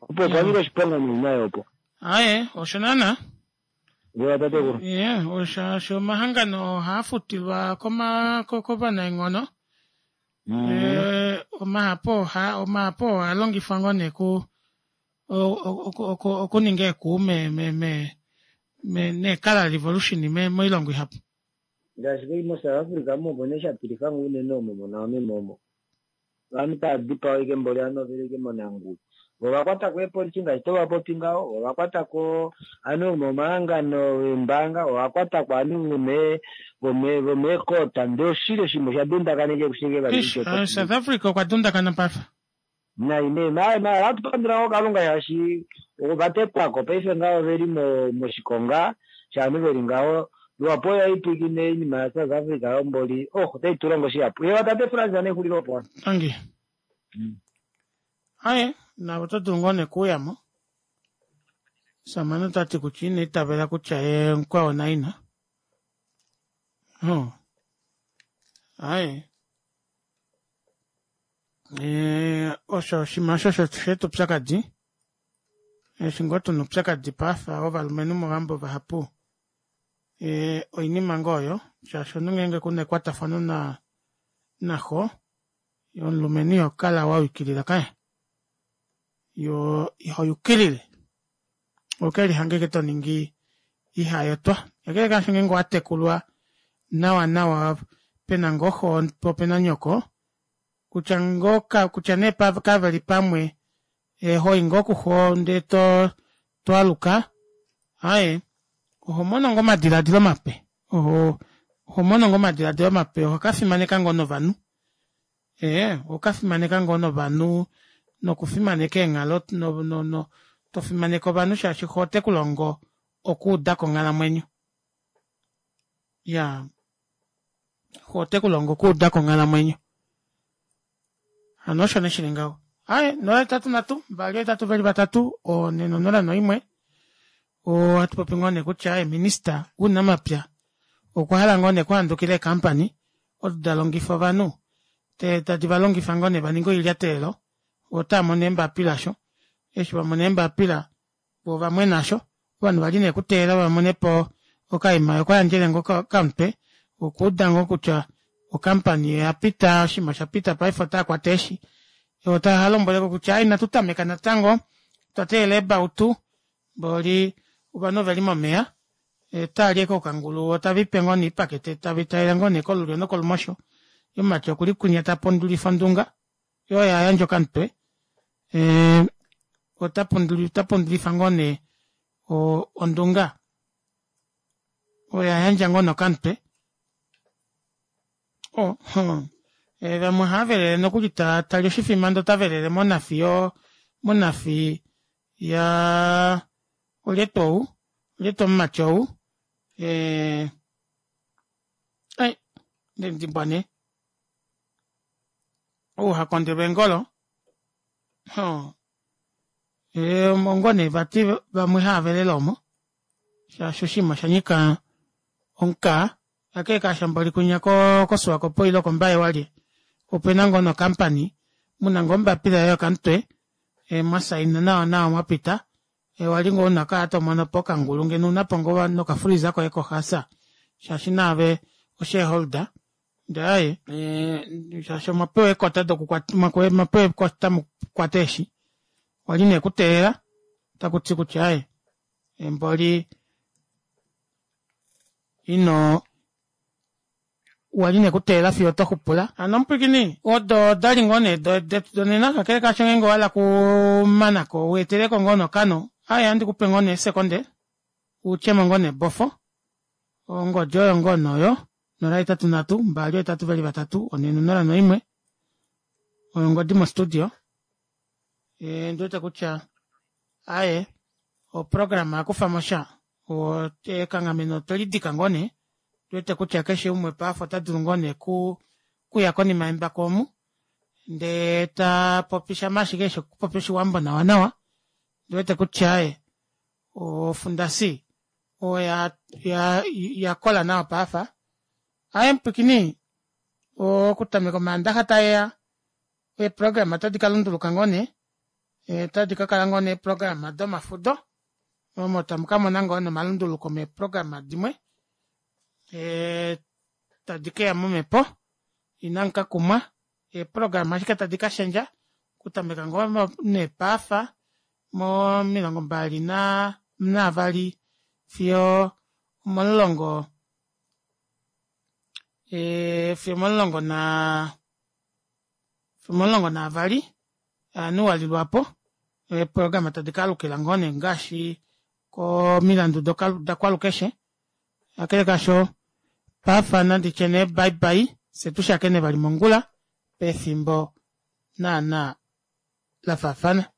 opo opwa oshiponga noinayo opo aye osho naana ewa tatekulu ye osho omahangano ohaafutilwa kovanaenghono omahapu omahapu ohalongifwa ngoo nee ku okuninga eekuu nee-colour revolution moilongo ihapu ngaashi kei moSouth Africa mopo nee shatilifa ngoo unene omo monaomi momo ovanhu tava dipawa ashike mboli ovanhu oveli ashike monanguwi vo ovakwatako eepolisi ngaashi tovapopi ngaho ovakwatako ovanhu vomomahangano eembaanga ovakwatako ovanhu vomeekota ndee oshili oshinima osha dundakaneke kushike vali South Africa okwa dundakana paife nai nee maala ohatu pandula ngoo kalunga shaashi ovatetwako paife ngaho oveli moshikonga shaanhu veli ngaho luhapu oyo haipwiikine oinima ya South Africa yomboli oh otai tulongo shihapu ewa tate Frans nexulilo opo tangi aye navo oto dulu ngoo nekuuyamo samane tati kutya ina itavela kutya ye mukwao naina aye osho oshinima osho shetu upyakadi eshi ngoo tuna upyakadi paife ovalumenhu movambo vahapu oinima ngoo oyo shaashi omunhu ngeenge kuna ekwatafano naxo omulumenhu ihokala wayukilila kaye yo ihoyukilile okelihanga ashike toningi ihayotwa kakele kaasho ngeenge owatekulwa nawa nawa pena ngoo xo po opena nyoko kutya ngoo kutya nee kaveli pamwe hoyi ngoo kuxo ndee twaluka aaye Oho mono ngoo omadilaadilo mape. Oho oho mono ngoo omadilaadilo mape oho kafimaneka ngoo novanhu. Ee oho kafimaneka ngoo novanhu nokufimaneka eenghalo no no no tofimaneke ovanhu shaashi xoo otekulongo okuudako onghalamwenyo. Iyaa xoo otekulongo okuudako onghalamwenyo. Hano osho nee shili ngaho. Aaye nola hetatu nhatu mbali ohetatu veli vatatu onhe nonola noimwe ohatu popi ngoo nee kutya minister wounamapya okwa hala ngoo nee okuhandukila eekampany odo dalongifa ovanhu tadi valongifa ngoo nee vaninge oilyatelelo voo otaamono eembapila osho eshi vamona eembapila voo ovamwena osho ovanhu vali nee kuteelela vamonepo okaima okwayandjele ngoo okamutwe okuuda ngoo kutya okampani oyapita oshinima oshapita paife otaakwata eeshi otalombweleko kutya aaye inatu tameka natango otwa teelela eebautu mboli ovanhu oveli momeva otaali ashike okangulu voo taviipe ngoo nee oipakete tavitalele ngoo nee kolulyo nokolumosho yee omumati okuli kwinya tapundulifa ondunga yoo oye ayandja okamutwe ee otapundulifa ngoo nee ondunga oye ayandja ngoo nee okamutwe oh, e, vamwe ohaavelele nokuli tali oshifima ndee otavelele monafi yo monafi ya olye tuu ou olye tuu omumati ou ee ai ndemudimbwa nee ou hakondelwa eengolo omo ngoo nee vati vamwe haavelele omo shaashi oshinima oshanyika omukaa kakele kaasho mboli kwinya koSwakopo ile kombaye walye opena ngoo nokampani muna ngoo ombapila yoye yokamutwe mwasaina nawa nawa mwapita wali ngoo una okukala tomonopo okangulu ngeno ounapo ngoo nokafreeza koye kohaasa shaashi naave oshareholder ndee aaye shaashi omwapewa eekota dokukwata omwapewa eekota mukwate eeshi wali nee kuteelela otakuti kutya aaye mboli ino wali nee kuteelela fiyo otoxupula. Hano omupwiikini odo odali ngoo nee detu donena kakele kaasho ngeenge owahala okumanako weeteleko ngoo nokano aaye ohandi kupe ngoo nee eesekonde utyemo ngoo nee bofo ongodi oyo ngoo nee oyo nola hetatu nhatu mbali ohetatu veli vatatu onhe nonola noimwe oyo ongodi mo studio ondiwete kutya aaye oprograma oyakufamo sha ekanghameno otwelidika ngoo nee ondiwete kutya keshe umwe paife ota dulu ngoo nee okuya konima yembako omu ndee tapopi shama ashike eshi okupopya oshiwambo nawa nawa ondiwete kutya aaye ofundasi oya yakola nawa paife. Aaye mupwiikini okutameka omaandaxa taeya eeprograma otadi kalunduluka ngoo nee otadi kakala ngoo nee eeprograma domafudo omo tamu kamona ngoo nee omalunduluko meeprograma dimwe tadi keya momepo inamu kakumwa eeprograma ashike tadi kashendja okutameka ngoo nee paife momilongo mbali naavali fiyo omomulongo fiyo omomulongo naa fiyo omomulongo naavali ajanuali lwaapo eeprograma tadi kaalukila ngoo nee ngaashi komilandu dakwalukeshe kakele kaasho paife nanditye nee bye bye fyee tushakene vali mongula pefimbo naana lafaafana.